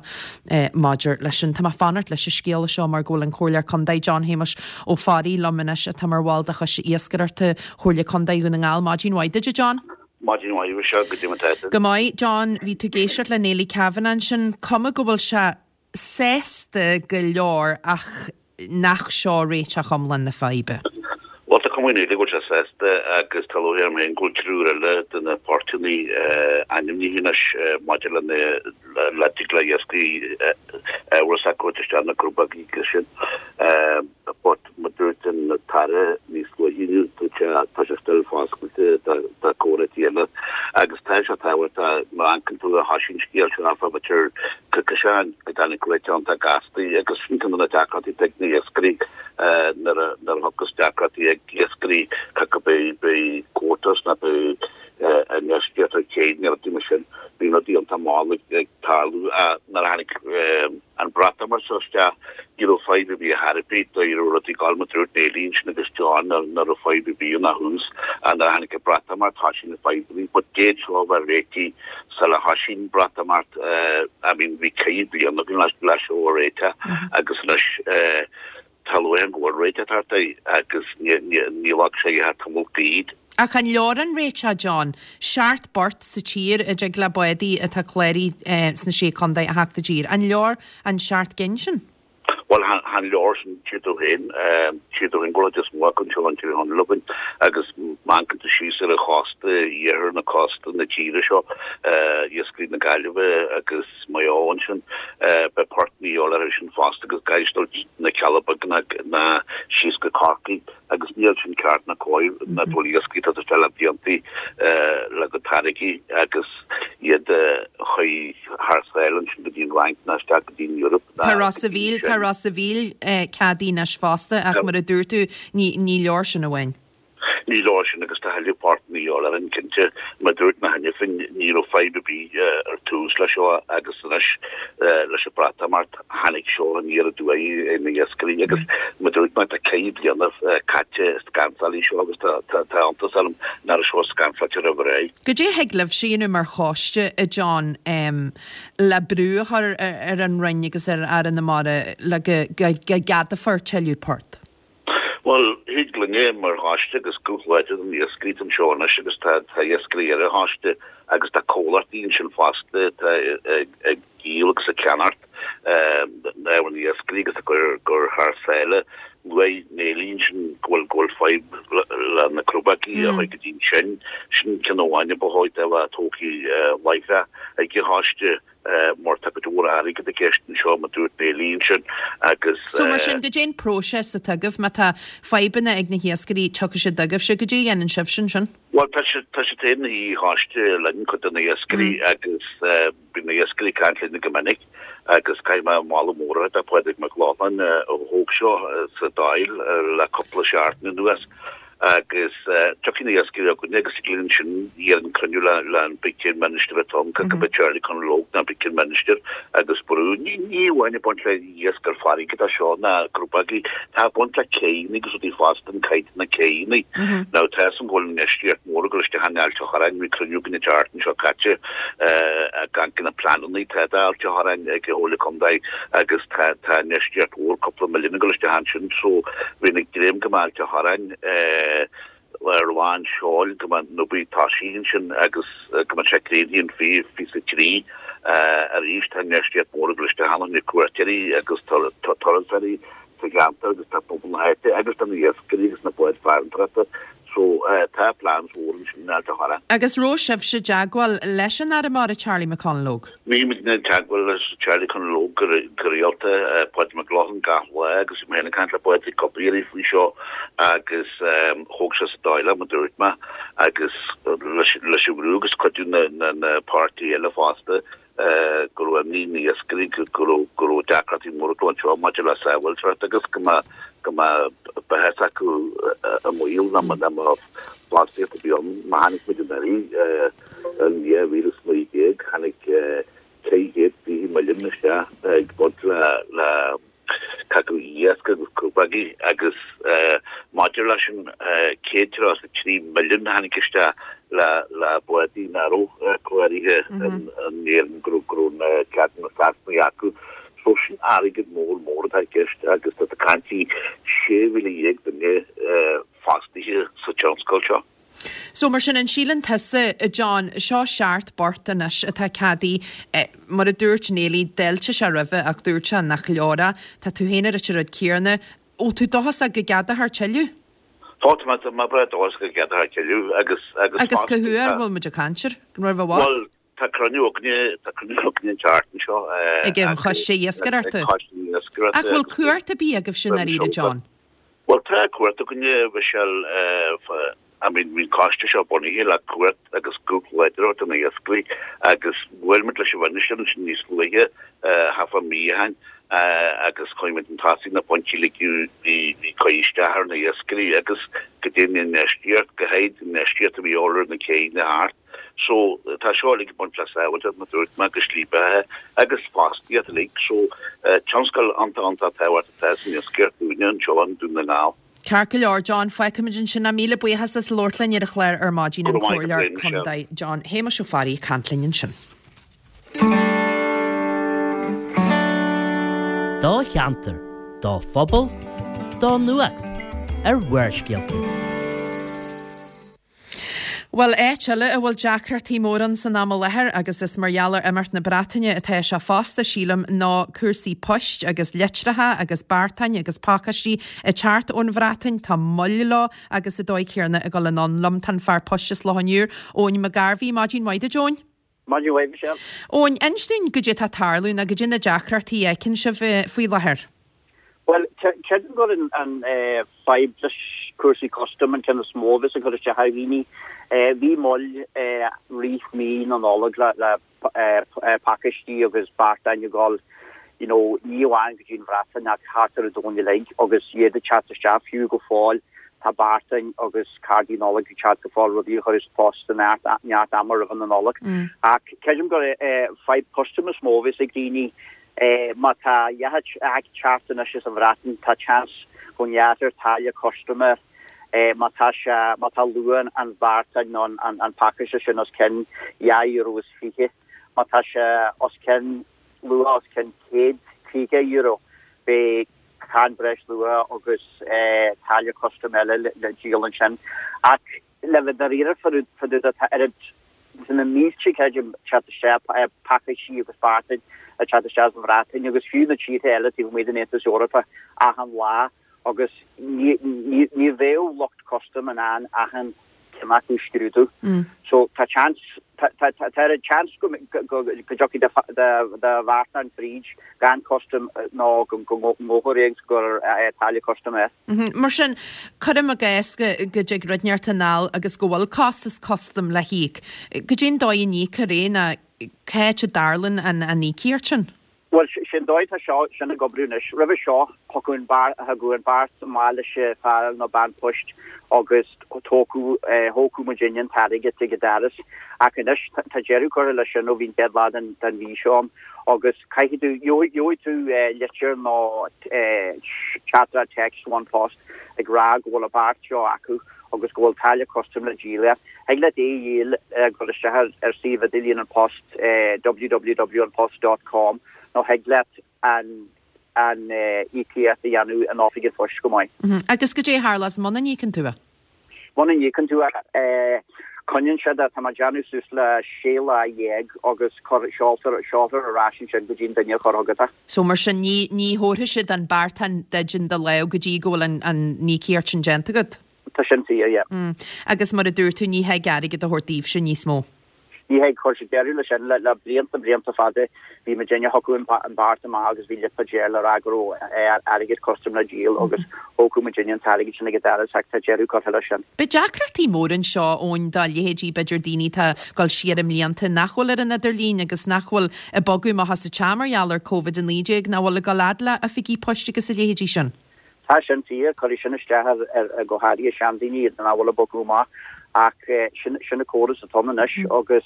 maidir leis sin. Tá mé ag fanacht leis an scéala seo mar go bhfuil an Comhairleoir Contae John Shéamuis Ó Fearraigh liom anois atá mar bhall de Choiste Iascaireachta Chomhairle Contae Dhún na nGall. Maidin mhaith duit a John. Maidin mhaith Michelle, goidé mar atá tú? Go maith John, bhí tú ag éisteacht le Neilí Kavanagh ansin, cuma go bhfuil sé sásta go leor ach nach seo réiteach iomlán na faidhbe. Bhuel, tá cuma ar Neilí go bhfuil sé sásta agus tá lúcháir orm féin go bhfuil triúr eile de na portanna ainmnithe anois maidir le le dtig le iascairí ábhar s'acu a thabhairt isteach na crobhaigí agus sin. But mar a dúirt an tAire níos luaithe inniu, dúirt sé tá sé still foscailte do comhráití eile agus tá sé tábhachtach má amharcann tú ar thoisigh an scéal seo áfach b'fhéidir coicís ó shin go dtáinig réiteach iontach gasta agus sin ceann de na deacrachtaí atá ag na hiascairí nuair a nuair a thiocfas deacrachtaí ag iascairí cé beidh beidh quotas nó beidh infheistíocht ar chéad nó rudaí mar sin bíonn rudaí iontach mall ag tarlú nuair a tháinig an Breatimeacht seo isteach ní raibh raibh fadhb ar bith ar bith, dá raibh rudaí ag gabháil mar a dúirt Neilí ansin agus John nach raibh fadhb ar bith ann ó thús ach nuair a tháinig an Breatimeacht thoisigh na fadhbanna but d'fhéad seo a bheith réitithe sula thoisigh an Breatimeacht I mean bhí ceithre bliana againn le seo a réiteach agus anois tá luath go bhfuil réiteach thart air agus ní bheadh sé thar tamall gairid. Ach an leor an réiteach, John? Seacht bport sa tír a dtig le bádaí atá cláraithe sna Sé Contae a theacht i dtír. An leor an seacht gcinn sin? Bhuel, chan leor sin, tchí tú féin, tchí tú féin go bhfuil is mó acu anseo in Tír Chonaill againn agus má amharcann tú síos ar an chósta, iarthar na cósta na tíre seo, iascairí na Gaillimhe agus Maigh Eo ansin, beidh port de dhíobháil orthu sin fosta agus caithfidh dul na Cealla Beaga ná síos go Corcaigh agus níl sin ceart ná cóir ná dul iascairí atá isteach le bliantaí le go táirgí agus iad a chur thar sáile ansin go dtí an Fhrainc ná isteach go dtí an Eoraip ná Tá Ros a' Mhíl, tá Ros a' Mhíl ceadaithe anois fosta ach mar a dúirt tú, ní, ní leor sin amháin. Ní leor sin agus tá a thuilleadh port de dhíobháil orainn cinnte. Mar a dúirt mé cheana féin, ní raibh fadhb ar bith ar tús leis seo agus anois leis an Breatimeacht tháinig seo aniar aduaidh ar na hiascairí agus mar a dúirt mé tá ceithre bliana caite ag scansáil seo agus tá tá iontas orm nach raibh seo scansáilte roimh ré. Goidé a thig libhse a dhéanamh mar choiste, a John, le brú a chur ar an Roinn agus ar Aire na Mara le go go gceadófar tuilleadh port? Bhuel, thig linne mar choiste agus guth láidir na n-iascairí atá anseo anois agus tá tá iascairí ar an choiste agus tá comhlachtaí ansin fosta atá ag ag díol agus ag ceannacht ábhar na n-iascairí agus ag cur cur thar sáile. Luaigh Neilí ansin go bhfuil go bhfuil fadhb le na crobógaí a chuaigh go dtí ansin. Sin ceann amháin a ba chóir a bheith tógtha láithreach ag an choiste. mar tá cuid mhór airgead i gceist anseo, mar a dúirt Neilí ansin, agus. So mar sin, goidé an próiseas atá agaibh? Má tá fadhbanna ag na hiascairí, tiocfaidh siad chugaibhse, goidé a dhéanann sibhse ansin? Bhuel, tá siad, tá siad féin ina choiste linn, cuid de na hiascairí, agus bíonn na hiascairí ag caint linn go minic, agus caithfidh mé moladh mór a thabhairt do Phádraig Mac Lochlainn a thóg seo sa Dáil le cúpla seachtain anuas. Agus tiocfaidh na hiascairí chugainne agus ag linn ansin iarrann cruinniú le le an Big Ten Minister atá ann, cad go Charlie Conalogue ná Big Ten Minister agus brú. Ní ní amháin ag baint le iasc ar farraige atá seo ná crobógaí, tá ag baint le céanna agus rudaí fosta, an caighdeán na céanna. Now tá fhios agam go bhfuil infheistíocht mór ag dul isteach in Ailt a' Chorráin, bhí cruinniú againn an tseachtain seo caite ag caint na pleananna atá d'Ailt a' Chorráin ag an Chomhairle Contae agus tá tá infheistíocht mhór cúpla milliún ag dul isteach ansin so bhínn ag dréim go mbeadh Ailt a' Chorráin ar lán seoil, go mbeadh an obair tosaithe ansin agus go mbeadh sé críochnaithe in fiche fiche a trí arís. Tá infheistíocht mhór ag dul isteach ann, na cuairteoirí agus turasóirí sa cheantar agus tá pobal na háite agus tá na hiascairí agus na báid farantóireachta. So tá plans mhór ansin in Ailt a' Chorráin. Agus raibh sibhse i dteagmháil leis an Aire Mara Charlie McConalogue? Bhí muid i dteagmháil le Charlie Conalogue go rialta, Pádraig Mac Lochlainn gach lá agus bhí mé féin ag caint le Pádraig cúpla iarraidh faoi seo agus thóg sé sa Dáil é mar a dúirt mé agus leis an bhrú agus cuidiú na na páirtithe eile fosta go raibh imní na n-iascairí go raibh go raibh deacrachtaí móra acu anseo maidir le sábháilteacht agus go mbeadh go mbeadh beatha s'acu i mbaol dá mbeadh fostaíocht ar bith ann. Má tháinig muid anuraidh in dhá mhíle is naoi déag tháinig ceithre chéad fiche milliún isteach ag baint le le cadhcú iasc agus crobógaí agus maidir leis an céad tríocha a trí milliún a tháinig isteach le le bádaí nach raibh cláraithe in Éirinn go raibh go raibh na ceadanna Sasanaigh acu. So sin airgead mór mór atá i gceist agus tá tú ag caint sé mhíle dhéag duine fostaithe sa tionscal seo. So mar sin, an síleann tusa, a John, seo seacht bport anois atá ceadaithe, mar a dúirt Neilí, d'fháiltigh sé roimhe ach dúirt sé nach leor é. Tá tú féin ag ráit an rud céanna. Bhfuil tú dóchasach go gceadófar tuilleadh? Tá, tá mé, tá mé breá dóchasach go gceadófar tuilleadh agus, agus Agus cá huair a bhfuil muid ag caint air? Roimh i bhfad? Bhuel, tá cruinniú againne, tá cruinniú againne an tseachtain seo. Ag an Choiste Iascaireachta? Ag an Choiste Iascaireachta. Ach bhfuil cumhacht ar bith agaibhse i ndáiríre, John? Bhuel, tá cumhacht againne, Michelle, I mean, bhí an coiste seo bunaithe le cumhacht agus guth láidir a thabhairt do na hiascairí agus bhuail muid leis an Mhinistir ansin níos luaithe, thart fá mí ó shin, agus chuaigh muid chun tosaigh na pointí uilig a bhí ag cur isteach ar na hiascairí agus go dtéann an infheistíocht, go háirid an infheistíocht a bhí ar na céanna thart. So tá seo uilig ag baint le sábháilteacht, mar a dúirt mé, agus slí beatha agus fostaíocht uilig. So tionscal iontach iontach tábhachtach atá san iascaireacht dúinne anseo i nDún na nGall. Ceart go leor, John, fágfaimid ansin é. Míle buíochas as labhairt linn ar an chlár ar maidin, an Comhairleoir Contae John Shéamuis Ó Fearraigh ag caint linn ansin. Do cheantar, do phobal, do nuacht ar Bharrscéalta. Bhuel, áit eile a bhfuil deacrachtaí móra ann san am i láthair, agus is mar gheall ar imeacht na Breataine atá sé fosta, sílim, ná cúrsaí poist agus litreacha agus beartáin agus pacáistí ag teacht ón Bhreatain. Tá moill leo agus sa dóigh chéanna ag dul anonn liom. Tá an fear poist as Loch an Iúir, Eoin McGarvey. Maidin mhaith duit, Eoin. Maidin mhaith, Michelle. Eoin, inis dúinn goidé atá ag tarlú nó goidé na deacrachtaí a fheiceann sibh faoi láthair. Bhuel, creidim gur an fadhb leis cúrsaí custaim an ceann is mó a bheas ag cur isteach ar dhaoine. Bhí moill rith mí na Nollag le pacáistí agus beartáin ag dul you know ní amháin go dtí an Bhreatain ach thart ar an domhan uilig agus iad ag teacht isteach fiú go fóill tá beartáin agus cárdaí Nollag ag teacht go fóill rudaí a chur sa post i neart neart ama roimh na Nollag. Ach creidim gur fadhb custaim is mó a bheas ag daoine. Má tá a leithéid ag teacht anois as an Bhreatain, tá seans go ngearrfar táille custaim air. Má tá sé, má tá luach an bheartáin nó an pacáiste sin os cionn dhá euro is fiche, má tá sé os cionn, luach os cionn céad caoga euro, beidh cáin breisluacha agus táille custaim eile le díol ansin. Ach le bheith dáiríre fá dtaobh de tá oiread Tá na mílte, creidim, ag teacht isteach, pacáistí agus beartáin ag teacht isteach as an Bhreatain agus fiú na tíortha eile taobh amuigh den Aontas Eorpach achan lá agus ní bheadh lucht custaim in ann achan ceann acu a scrúdú. So tá seans, tá oiread seans go dtiocfaidh do bheartán fríd gan custam nó go ngabhfar é agus go gcuirfear táille custaim air. Mar sin, cuirim i gcás go dtig rud inteacht anall agus go bhfuil costas custaim le híoc. Goidé an dóigh a n-íocfar é nó cá háit a dtarlaíonn an íocaíocht sin? Bhuel, sin dóigh atá seo sin ag oibriú anois. Roimhe seo, thiocfadh an beart, thagadh an beart amach leis an fear nó bean poist agus thógadh, thógadh muidinne an t-airgead ag an doras. Ach anois, tá deireadh curtha leis sin ó bhí an chéad lá den, den mhí seo ann agus caithfidh tú, gheobhaidh, gheobhaidh tú litir nó teachtaireacht téacs ó An Post ag rá go bhfuil an beart seo acu agus go bhfuil táille custaim le díol air. Thig leat é a dhíol ag dul isteach ar ar suíomh idirlíon An Post, www anpost dot com, nó thig leat an an íocaíocht a dhéanamh in oifig an phoist go maith. Agus goidé a tharlós muna n-íocann tú é? Muna n-íocann tú é, coinníonn siad é, tá mé ag déanamh suas le sé lá dhéag agus cuir, seoltar, seoltar ar ais ansin go dtí an duine a chuir chugat é. So mar sin ní, ní thabharfaidh siad an beartán duit in do lámh go dtí go bhfuil an, an íocaíocht sin déanta agat? Tá sin fíor, yeah. Agus mar a dúirt tú, ní thig airgead a thabhairt daoibhse níos mó. Ní thig, chuir siad deireadh leis sin le blianta, blianta fada. Bhí muidinne, thiocfadh an beart amach agus bhí lipéad air le rá go raibh airgead custaim le díol agus thógadh muidinne an t-airgead sin ag an doras ach tá deireadh curtha leis sin. Beidh deacrachtaí móra anseo, Eoin, do leithéidí b'fhéidir daoine atá ag dul siar i mblianta nach bhfuil ar an idirlíon agus nach bhfuil ag bogadh amach as an teach mar gheall ar Covid a naoi déag, nach bhfuil ag dul fhad le oifigí poist agus a leithéidí sin. Tá sin fíor, cuirfidh sin isteach ar go háirithe seandaoine nach bhfuil ag bogadh amach ach sin an córas atá ann anois agus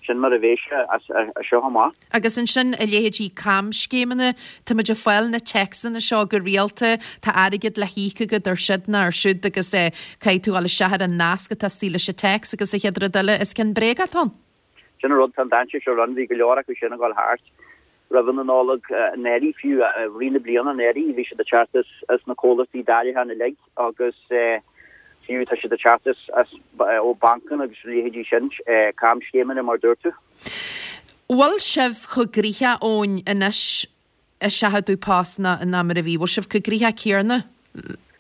sin mar a bheidh sé as seo amach. Agus ansin a leithéidí camscéimeanna, tá muid ag fáil na téacsanna seo go rialta, tá airgead le híoc agat ar siod ná ar siúd agus caithfidh tú dul isteach ar an nasc atá istigh leis an téacs agus an chéad rud eile is ceann bréagach atá ann. Sin an rud, tá an dainséar seo ann, bhí go leor acu sin ag dul thart roimh an Nollaig anuraidh fiú, i rith na bliana anuraidh, bhí siad ag teacht as as na comhlachtaí dáileacháin uilig agus fiú tá siad ag teacht as as ó bancanna agus a leithéidí sin, camscéimeanna mar a dúirt tú. Bhfuil sibh chomh gnoitheach, Eoin, anois ag seachadadh post ná ná mar a bhí? Bhfuil sibh chomh gnoitheach céanna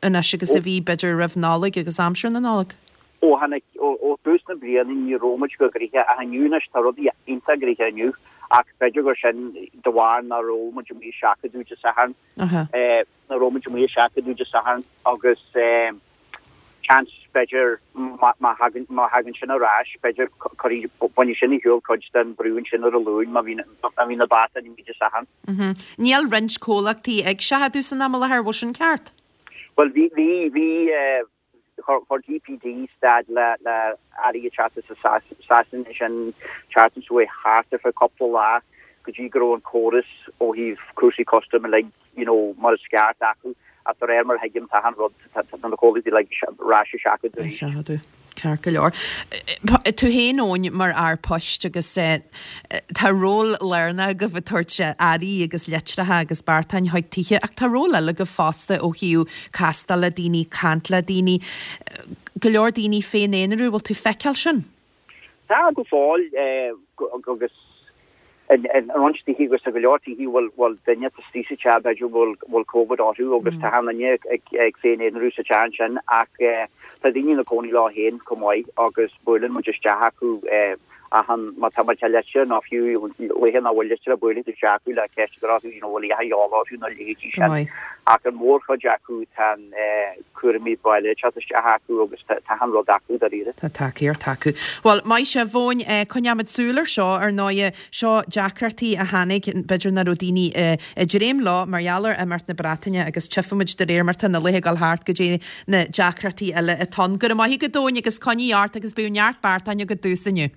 anois agus a bhí b'fhéidir roimh Nollaig agus aimsir na Nollag? Ó tháinig, ó thús na bliana ní raibh muid chomh gnoitheach ach inniu anois tá rudaí iontach gnoitheach inniu ach b'fhéidir gur sin de bharr nach raibh muid amuigh ag seachadadh Dé Sathairn, nach raibh muid amuigh ag seachadadh Dé Sathairn agus seans b'fhéidir má thagann, má thagann sin ar ais b'fhéidir cuirfidh, bainfidh sin ar shiúl cuid den brú ansin ar an Luan má bhíonn, má bhíonn na beartáin amuigh Dé Sathairn. Níl roinnt comhlachtaí ag seachadadh san am i láthair, bhfuil sin ceart? Bhuel bhí, bhí, bhí, Chuir DPD stad le le earraí ag teacht as Sasain sin tseachtain seo thart ar feadh cúpla lá go dtí go raibh an córas ó thaobh cúrsaí custaim uilig you know mar is ceart acu ach de réir mar a thuigim tá an rud tá na comhlachtaí uilig ar ais ag seachadadh arís. Seachadadh. Ceart go leor. Tú féin Eoin mar fhear poist agus tá ról lárnach agaibh ag tabhairt earraí agus litreacha agus beartáin chuig tithe ach tá ról eile agaibh fosta ó thaobh castáil le daoine, caint le daoine, go leor daoine féin-aonarú, bhfuil tú feiceáil sin? Tá go fóill agus in roinnt tithe agus tá go leor tithe bhfuil bhfuil duine istigh sa teach b'fhéidir bhfuil bhfuil Covid orthu agus tá an duine ag ag féin-aonarú sa teach ansin ach tá daoine ina gcónaí leo féin chomh maith agus buaileann muid isteach acu achan má tá má tá litir nó fiú laethe nach bhfuil litir buaileann tú isteach acu le ceist a chur orthu you know bhfuil a dhath a dhíobháil orthu nó a leithéidí sin ach an mhórchuid acu tá cúraimí baile ag teacht isteach acu agus tá achan rud acu dáiríre. Tá tacaíocht acu. Bhuel, maith sibh, Eoin, coinneoimid súil ar seo, ar ndóighe. Seo deacrachtaí a tháinig, b'fhéidir nach raibh daoine ag dréim leo mar gheall ar imeacht na Breataine agus tchífimid de réir mar tá na laethe ag dul thart goidé na deacrachtaí eile atá ann. Go raibh maith agat, Eoin, agus coinnigh ort agus bíodh neart beartáin agat domhsa inniu.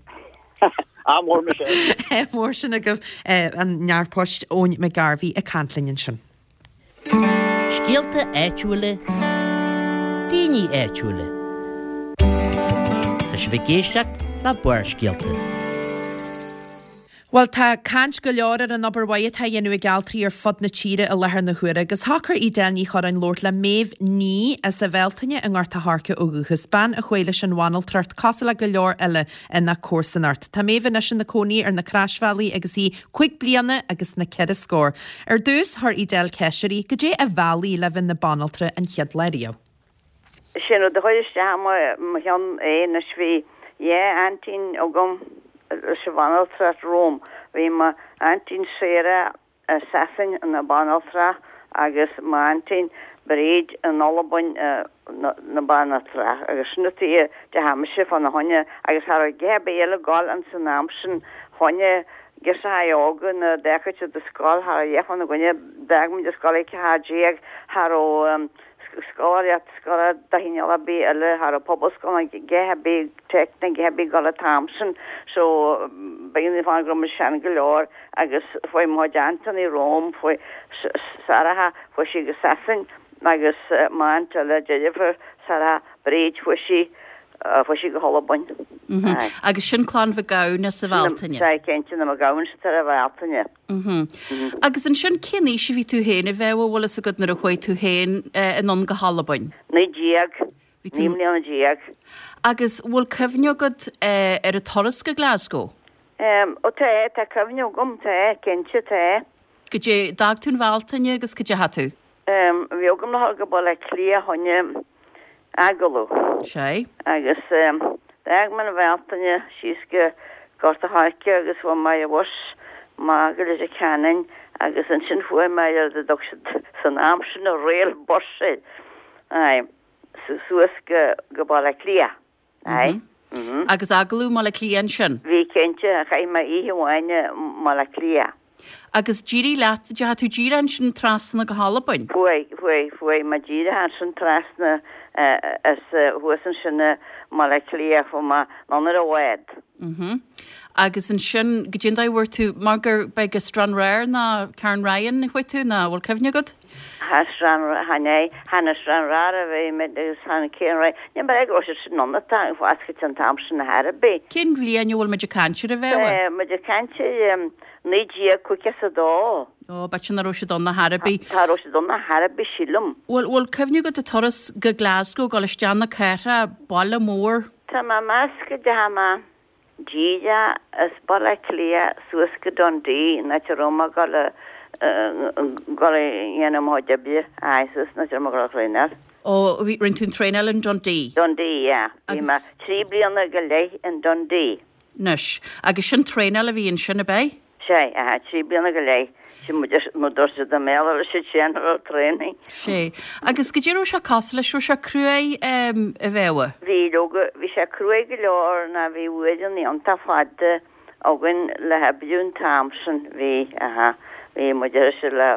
Ádh mór Michelle. Ádh mór sin agaibh an fear poist Eoin McGarvey ag caint linn ansin. Scéalta áitiúla, daoine áitiúla. Tá sibh ag éisteacht le Barrscéalta. Bhuel, tá caint go leor ar an obair mhaith atá á dhéanamh ag altraí ar fud na tíre i láthair na huaire agus shocair Edel Ní Chorráin labhairt le Méabh Ní as an Bhealtaine i nGort a' Choirce ó dhúchas, bean a chuaigh leis an bhanaltracht cosúil le go leor eile ina comharsanacht. Tá Méabh anois ina cónaí ar na Croisbhealaí agus í cúig bliana agus na ceithre scór. Ar dtús, chuir Edel ceist uirthi, goidé a mheall í le bheith ina banaltra an chéad lá riamh. Sin rud a chuir isteach i mo cheann é anois bhí dhá aintín agam leis an bhanaltracht romham. Bhí m'aintín Sarah i Sasain ina banaltra agus m'aintín Bríd in Albain ina banaltra agus sin an tuige a dteachaidh mise fána choinne agus cha raibh a dhath ar bith eile ag gabháil ins an am sin fá choinne girseachaí óga nuair a d'fhágfadh siad an scoil cha raibh a dhath fána gcoinne d'fhág muid an scoil ag ceathair déag cha raibh scoláireacht scoláireacht de chineál ar bith eile cha raibh pobalscoil ná a dhath ar bith tech ná a dhath ar bith ag gabháil an t-am sin so b'in an fáth go raibh muid sean go leor agus fuaigh mo chuid aintíní romham fuaigh Sarah fuaigh sí go Sasain agus m'aint eile deirfiúr Sarah Bríd fuaigh sí fuaigh sí go hAlbain. Agus sin Clann Mhic Gabhann as an Bhealtaine? Sea, cinnte, na Mac Gabhann tar an Bhealtaine. Agus ansin cén aois a bhí tú féin a Mhéabh, an bhfuil fhios agat nuair a chuaigh tú féin anonn go hAlbain? Naoi déag, naoi mbliana déag. Agus bhfuil cuimhne agat ar an turas go Glasgow? Ó tá, tá cuimhne agam, tá, cinnte, tá. Goidé, d'fhág tú an Bhealtaine agus cá dteachaigh tú? Bhí agam le dhul go Baile Átha Cliath fá choinne agallamh. Sea. Agus d'fhág mé an Bhealtaine síos go Gort a' Choirce agus fuair mé ar bhus amach go Leitir Ceanainn agus ansin fuair mé ar a dtug siad san am sin an rail bus air, aye, suas go go Baile Átha Cliath, aye. Agus agallamh i mBaile Átha Cliath ansin? Bhí, cinnte, chaith mé oíche amháin i mBaile Átha Cliath. Agus d'éirigh leat, deachaigh tú díreach ansin trasna go hAlbain? Fuaigh, fuaigh, fuaigh mé díreach ansin trasna as thuas ansin i mBaile Átha Cliath, fuaigh mé anonn ar an bhád. Mhm. Agus ansin, goidé an dóigh a bhfuair tú, mar gur, b'é go Stranraer ná Cairnryan a chuaigh tú, ná bhfuil cuimhne agat? Cha Stranraer, chan é, chan i Stranraer a bhí mé agus chan Cairnryan, ní mar é go raibh siad sin ann atá foscailte an t-am sin ar chor ar bith. Cén bhliain a bhfuil muid ag caint air a Mhéabh? Tá muid ag caint ar naoi déag caoga is a dó. Ó, b'fhéidir nach raibh siad ann ar chor ar bith. Cha raibh siad ann ar chor ar bith, sílim. Bhfuil, bhfuil cuimhne agat an turas go Glasgow, dul isteach na cathrach, baile mór? Tá mé ag meas go dteachaidh mé díreach as Baile Átha Cliath suas go Dundee, an áit a raibh mé ag dul a dul a dhéanamh mo chuid oibre, aye, suas an áit a raibh mé ag dul a thraenáil. Ó, bhí, rinne tú an traenáil in Dundee? Dundee, yeah. Bhí mé trí bliana go leith in Dundee. Anois, agus sin traenáil a bhí ansin, ab é? Sea, aha, trí bliana go leith. Sin muid, mar dúirt siad i mBéarla leis siad general training. Sea. Agus goidé raibh sé cosúil leis, raibh sé cruaidh a Mhéabha? Bhí, leoga, bhí sé cruaidh go leor ná bhí uaireanna iontach fada againn le hoibriú an t-am sin, bhí, aha, bhí muid ar ais le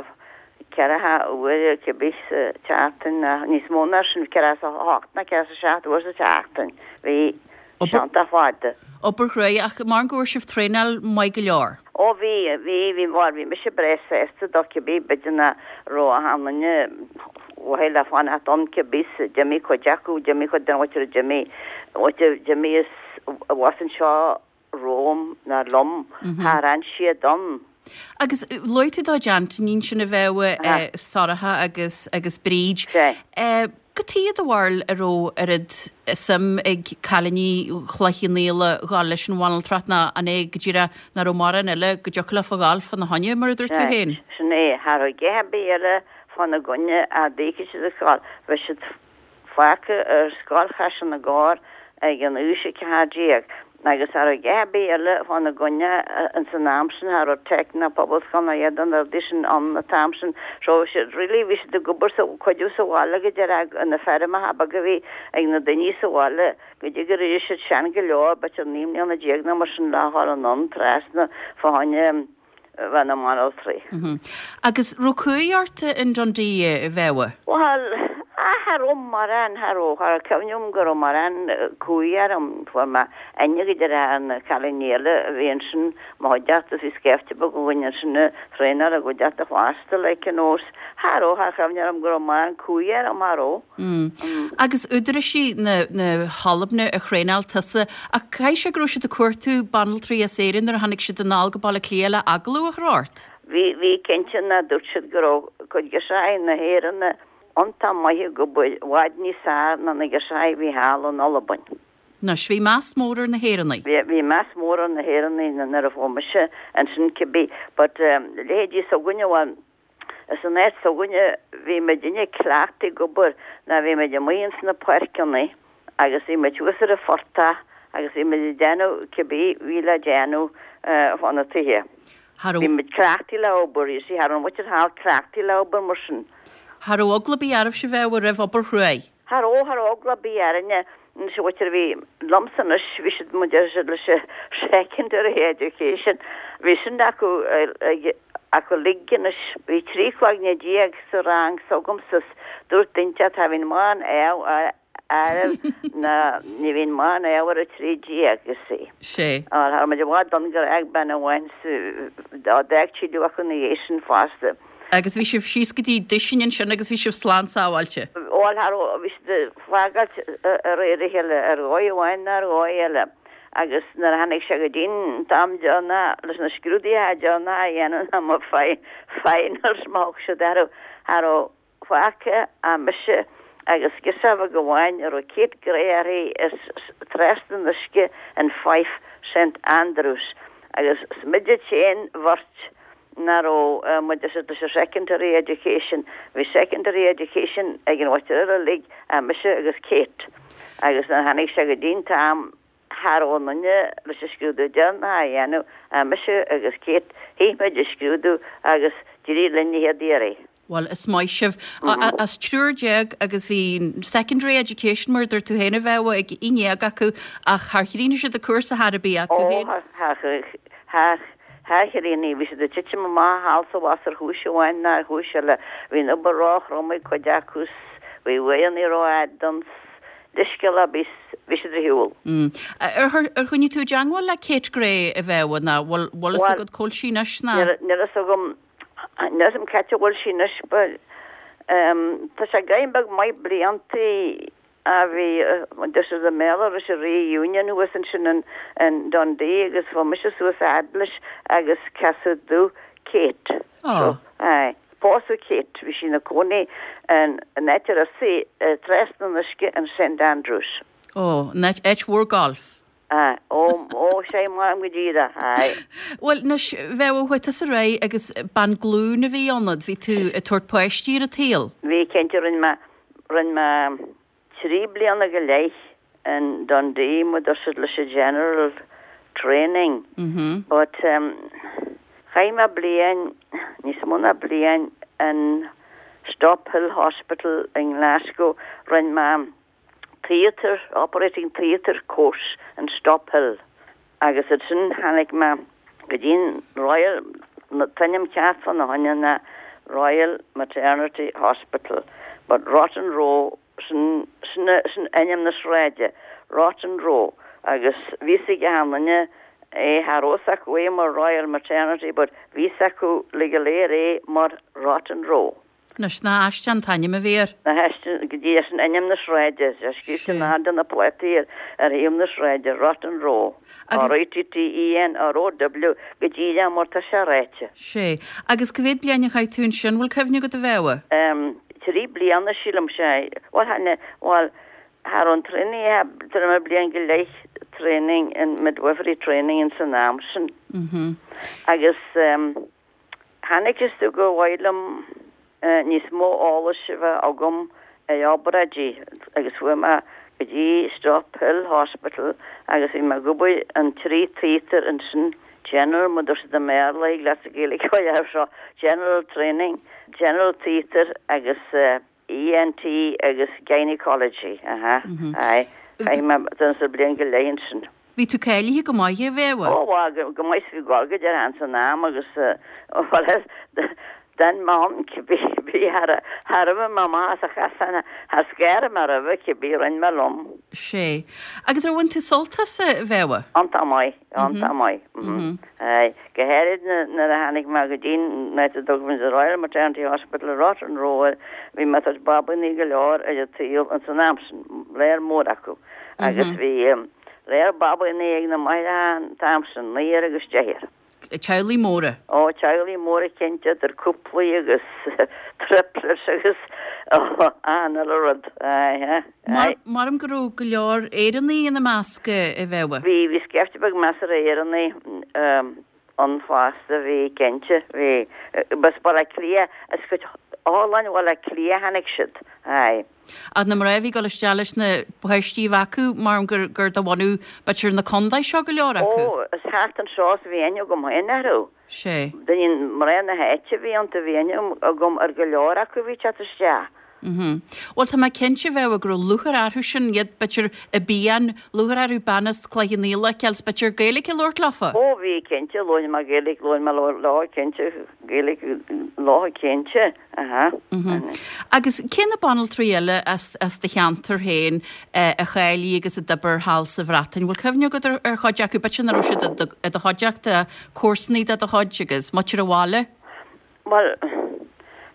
ceathracha uair cibé sa tseachtain, níos mó ná sin, ceathracha a hocht nó ceathracha a seacht uair sa tseachtain. Bhí seanta fada. Obair chruaidh, ach mar go raibh sibh traenáil maith go leor. Ó bhí, bhí, bhí, bhuel bhí mise breá sásta dó cibé, b'fhéidir nach raibh achan duine mhaith le fanacht ann cibé, d'imigh cuid acu, d'imigh cuid den mhuintir a d'imigh, d'imigh as abhus anseo romham ná liom, char fhan siad ann. Agus luaigh tú do d'aintíní sin a bheadh Sorcha agus agus Bríd. Cad chuige do bharúil a raibh oiread suim ag cailíní Chloich Cheann Fhaola dhul leis an bhanaltracht ná an é go díreach nach raibh mórán eile go dtiocfadh leofa dhul fána choinne mar a dúirt tú féin? Sin é, cha raibh a dhath ar bith eile fána gcoinne a d'fhéadfadh siad a ghabháil. Bheadh siad fágtha ar Scoil Chaiseal na gCorr ag an aois a ceathair déag agus cha raibh a dhath ar bith eile fána gcoinne ins an am sin, cha raibh Tech ná Pobalscoil ná a dhath de na rudaí sin ann an t-am sin. So bhí siad really bhí siad ag obair sa cuidiú sa bhaile go deireadh na feirmeacha beaga a bhí ag na daoine sa bhaile go dtí go raibh siad sean go leor, b'fhéidir naoi mbliana déag nó mar sin le dhul anonn trasna fá choinne bheith ina mbanaltraí. Agus raibh cumhaidh ort in Dundee, a Mhéabha? Bhuel, cha raibh mórán, cha raibh, cha raibh cuimhne agam go raibh mórán cumhaidh orm. Fuair mé aithne go deireadh ar na cailíní eile a bhí ansin, mo chuideachta, bhí scaifte beag againn ansin ag traenáil i gcuideachta fosta, like, you know. Cha raibh, cha raibh cuimhne orm go raibh mórán cumhaidh orm, cha raibh. Agus údaráisí na na hAlban a thraenáil tusa, ach caithfidh sé go raibh siad ag cuartú banaltraí as Éirinn nuair a tháinig siad anall go Baile Átha Cliath le agallamh a chur ort? Bhí, bhí cinnte ná dúirt siad go raibh cuid girseachaí na hÉireann iontach maith ag obair, i bhfad níos fearr ná na girseachaí a bhí thall in Albain. Anois, bhí meas mór ar na hÉireannaigh. Bhí, bhí meas mór ar na hÉireannaigh nuair a fuair mise ansin cibé, but leithéidí s'againne, bhuel, San áit s'againne bhí muidinne cleachtaithe ag obair ná bhí muid amuigh ins na páirceanna agus bhí muid thuas ar an phortach agus bhí muid ag déanamh cibé bhí le déanamh fá na tithe. Bhí muid cleachtaithe le obair, you see, cha raibh an mhuintir thall cleachtaithe le obair mar sin. Cha raibh eagla ar bith oraibhse a Mhéabha roimh obair chruaidh? Cha raibh, cha raibh eagla ar bith orainne. Anois an mhuintir a bhí liomsa anois, bhí siad, mar deir siad, leis an secondary education, bhí sin acu ag acu uilig anois. Bhí trí chloigne déag sa rang s'agamsa 's dúirt duine inteacht cha bhíonn mórán ádh oraibh ná ní bhíonn mórán ádh ar a trí déag, you see. Sé. Cha raibh muid i bhfad ann gur fhág bean amháin sa d'fhág tuilleadh acu ina dhiaidh sin fosta. Agus bhí sibh síos go dtí duisín ansin agus bhí sibh slán sábháilte. Bhuel, cha raibh, bhí siad ag fágáilt ar réir a chéile, ar dhóigh amháin nó ar dhóigh eile. Agus nuair a tháinig sé go dtí an t-am deireanach leis na scrúduithe deireanacha a dhéanamh ná mo finals má thug siad orthu, cha raibh fágtha ach mise agus girseach bheag amháin a raibh Kate Gray uirthi as trasna an uisce in Fife, Saint Andrews. Agus is muide an t-aon bheirt nach raibh muid leis an secondary education. Bhí secondary education ag an mhuintir eile uilig ach mise agus Kate. Agus nuair a tháinig sé go dtí an t-am cha raibh aon duine leis an scrúdú deireanach a dhéanamh ach mise agus Kate, shuigh muid an scrúdú agus d'éirigh linn an chéad iarraidh. Bhuel, is maith sibh. As triúr déag agus bhí secondary education mar a dúirt tú féin a Mhéabha ag aon déag acu ach char chríochnaigh siad an cúrsa chor ar bith ach tú féin. Ó, char, char chríochnaigh. Bhí siad ag titim amach thall 's abhus ar chúis amháin nó ar chúis eile. Bhí an obair róthrom ag cuid acu 's bhí uaigheanna rófhada ann 's leithscéal ar bith bhí siad ar shiúl. Ar ar choinnigh tú i dteangmháil le Kate Gray a Mhéabha nó bhfuil bhfuil fhios agat cá bhfuil sí anois ná? Níl fhios agam Níl fhios agam c'áit a bhfuil sí anois but tá sé go beag maith bliantaí a bhí this is i mBéarla leis an reunion thuas ansin in Dundee agus bhí mise suas a fhad leis agus casadh domh Kate. Oh. Aye. Pósadh Kate, bhí sí ina cónaí in áit a raibh sí trasna an uisce in St Andrews. Oh, an áit mhór golf. Aye. Ó, ó, sé mar go díreach, aye. Bhuel, anois, Mhéabha, chuaigh tusa ar aghaidh agus bean glún a bhí ionat, bhí tú ag tabhairt páistí ar an tsaol. Bhí, cinnte, rinne mé, rinne mé trí bliana go leith in Dundee, mar deir siad leis an general training. But um, chaith mé bliain, níos mó ná bliain in Stobhill Hospital in Glasgow, rinne mé theatre, operating theatre course in Stobhill. Agus ansin tháinig mé go dtí an Royal, an t-ainm ceart fána choinne ná Royal Maternity Hospital but Rotten Row sin sin sin ainm na sráide Rotten Row agus bhí a fhios ag achan duine é cha raibh a fhios acu é mar Royal Maternity but bhí a fhios acu uilig go léir é mar Rotten Row. Anois nach aisteach an t-ainm a bhí air. Nach aisteach go dtí sin ainm na sráide, sé scríofa in airde na plátaí ar ar thaobh na sráide, Rotten Row, R-O-T-T-E-N-R-O-W, go díreach mar tá sé ráite. Sé. Agus cá mhéad bliain a chaith tú ansin, bhfuil cuimhne agat a Mhéabha? Em, trí bliana sílim, sé. Bhuel, tha, bhuel, thar an training, tar mé bliain go leith training in midwifery training in san am sin. Mhm. Agus em, tháinig is tú go mhaith liom níos mó eolais a bheith agam ar obráidí agus chuaigh mé go dtí Stobhill Hospital agus bhí mé ag obair an trí theatre ansin, general mar dúirt siad i mBéarla, thig leat sa Ghaeilge a dhéanamh seo, general training, general theatre agus ENT agus gynaecology, aha, aye. Chaith mé don bliain go leith ansin. Bhí tú cáilithe go maith a Mhéabha? Ó, bhuel, go maith is bhí gol go deireadh ins an am agus bhuel, d'fhan mé ann cibé, bhí thar thar a bheith mé amach as a chasan, thar scair mé roimhe cibé, rinne mé liom. Sé. Agus ar bhain tú sult as a Mhéabha? Iontach maith, iontach maith. Aye. Go háirid nuair a tháinig mé go dtí an áit a dtugtar the Royal Maternity Hospital i Rotten Row, bhí mé ag tabhairt babaíní go leor ar an tsaol ins an am sin, léar mór acu. Agus bhí léar babaíní ag na máithreacha an t-am sin, naonúr agus deichniúr. Teaghlaigh móra. Ó, teaghlaigh móra cinnte, idir cúplaí agus triplets agus an uile rud. Aye, aye. Maram go raibh go leor Éireannaigh ina measc a Mhéabha? Bhí, bhí scaifte beag measartha Éireannaigh ann fosta, bhí cinnte, bhí. B'as Baile Átha Cliath, as cuid otharlann Bhaile Átha Cliath a tháinig siad, aye. Ach na mná a bhí ag dul isteach leis na páistí a bheith acu, maram gur gur de bhunadh b'fhéidir na contae seo go leor acu. Ó, is thart anseo is a bhí aithne agam féin orthu. Sé. Daoine mná na háite a bhí iontu, bhí aithne agam ar go leor acu a bhí ag teacht isteach. Mhm. Bhuel tá mé cinnte a Mhéabha go raibh lúcháir orthu sin, iad b'fhéidir i bpian, lúcháir orthu bean as Cloich Cheann Fhaola a fheiceáil 's b'fhéidir Gaeilge a labhairt leofa. Ó bhí cinnte, labhair mé Gaeilge, labhair mé leo cinnte, Gaeilge leo cinnte, aha. Mhm. Agus cé na banaltraí eile as as do cheantar féin a cháiligh agus a d'oibir thall sa Bhreatain? Bhfuil cuimhne agat ar ar chuid acu, b'fhéidir nach raibh siad i do i do chuideachta, comharsanaí de do chuid agus muintir an bhaile? Bhuel,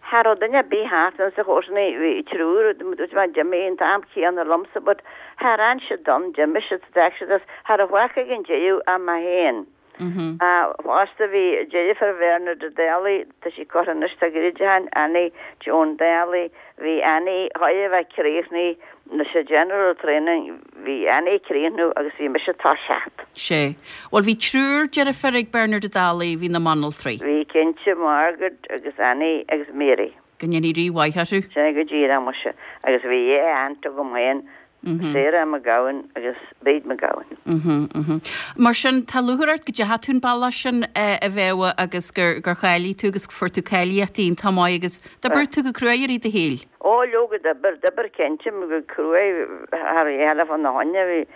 cha raibh duine ar bith thart ann sa chomharsanaí, bhí triúr, dúirt mé d'imigh an t-am céanna liomsa but char fhan siad ann, d'imigh siad, d'fhág siad as, cha raibh fágtha ag an deireadh ach mé féin. Fosta bhí deirfiúr Bhernard Ó Dálaigh, tá sí curtha anois, tá goirid ann, Annie Joan Daly, bhí Annie chóir a bheith críochnaithe leis an general training, bhí Annie ag críochnú agus bhí mise ag toiseacht. Sé. Bhuel bhí triúr deirfiúr ag Bernard Ó Dálaigh, bhí na mbanaltraí. Bhí cinnte, Margaret agus Annie agus Mary. Go ndéanaí Rí mhaith orthu. Sea, go díreach muise. Agus bhí dhá aunt agam féin, Sarah McGowan agus Bríd McGowan. Mhm, mhm. Mar sin, tá lúcháir ort go dteachaigh tú an bealach sin a Mhéabha agus gur gur cháiligh tú agus fuair tú cáilíocht iontach maith agus d'oibir tú go cruaidh i rith do shaoil. Ó, leoga d'oibir, d'oibir cinnte, go cruaidh thar eile fá na choinne. Bhí,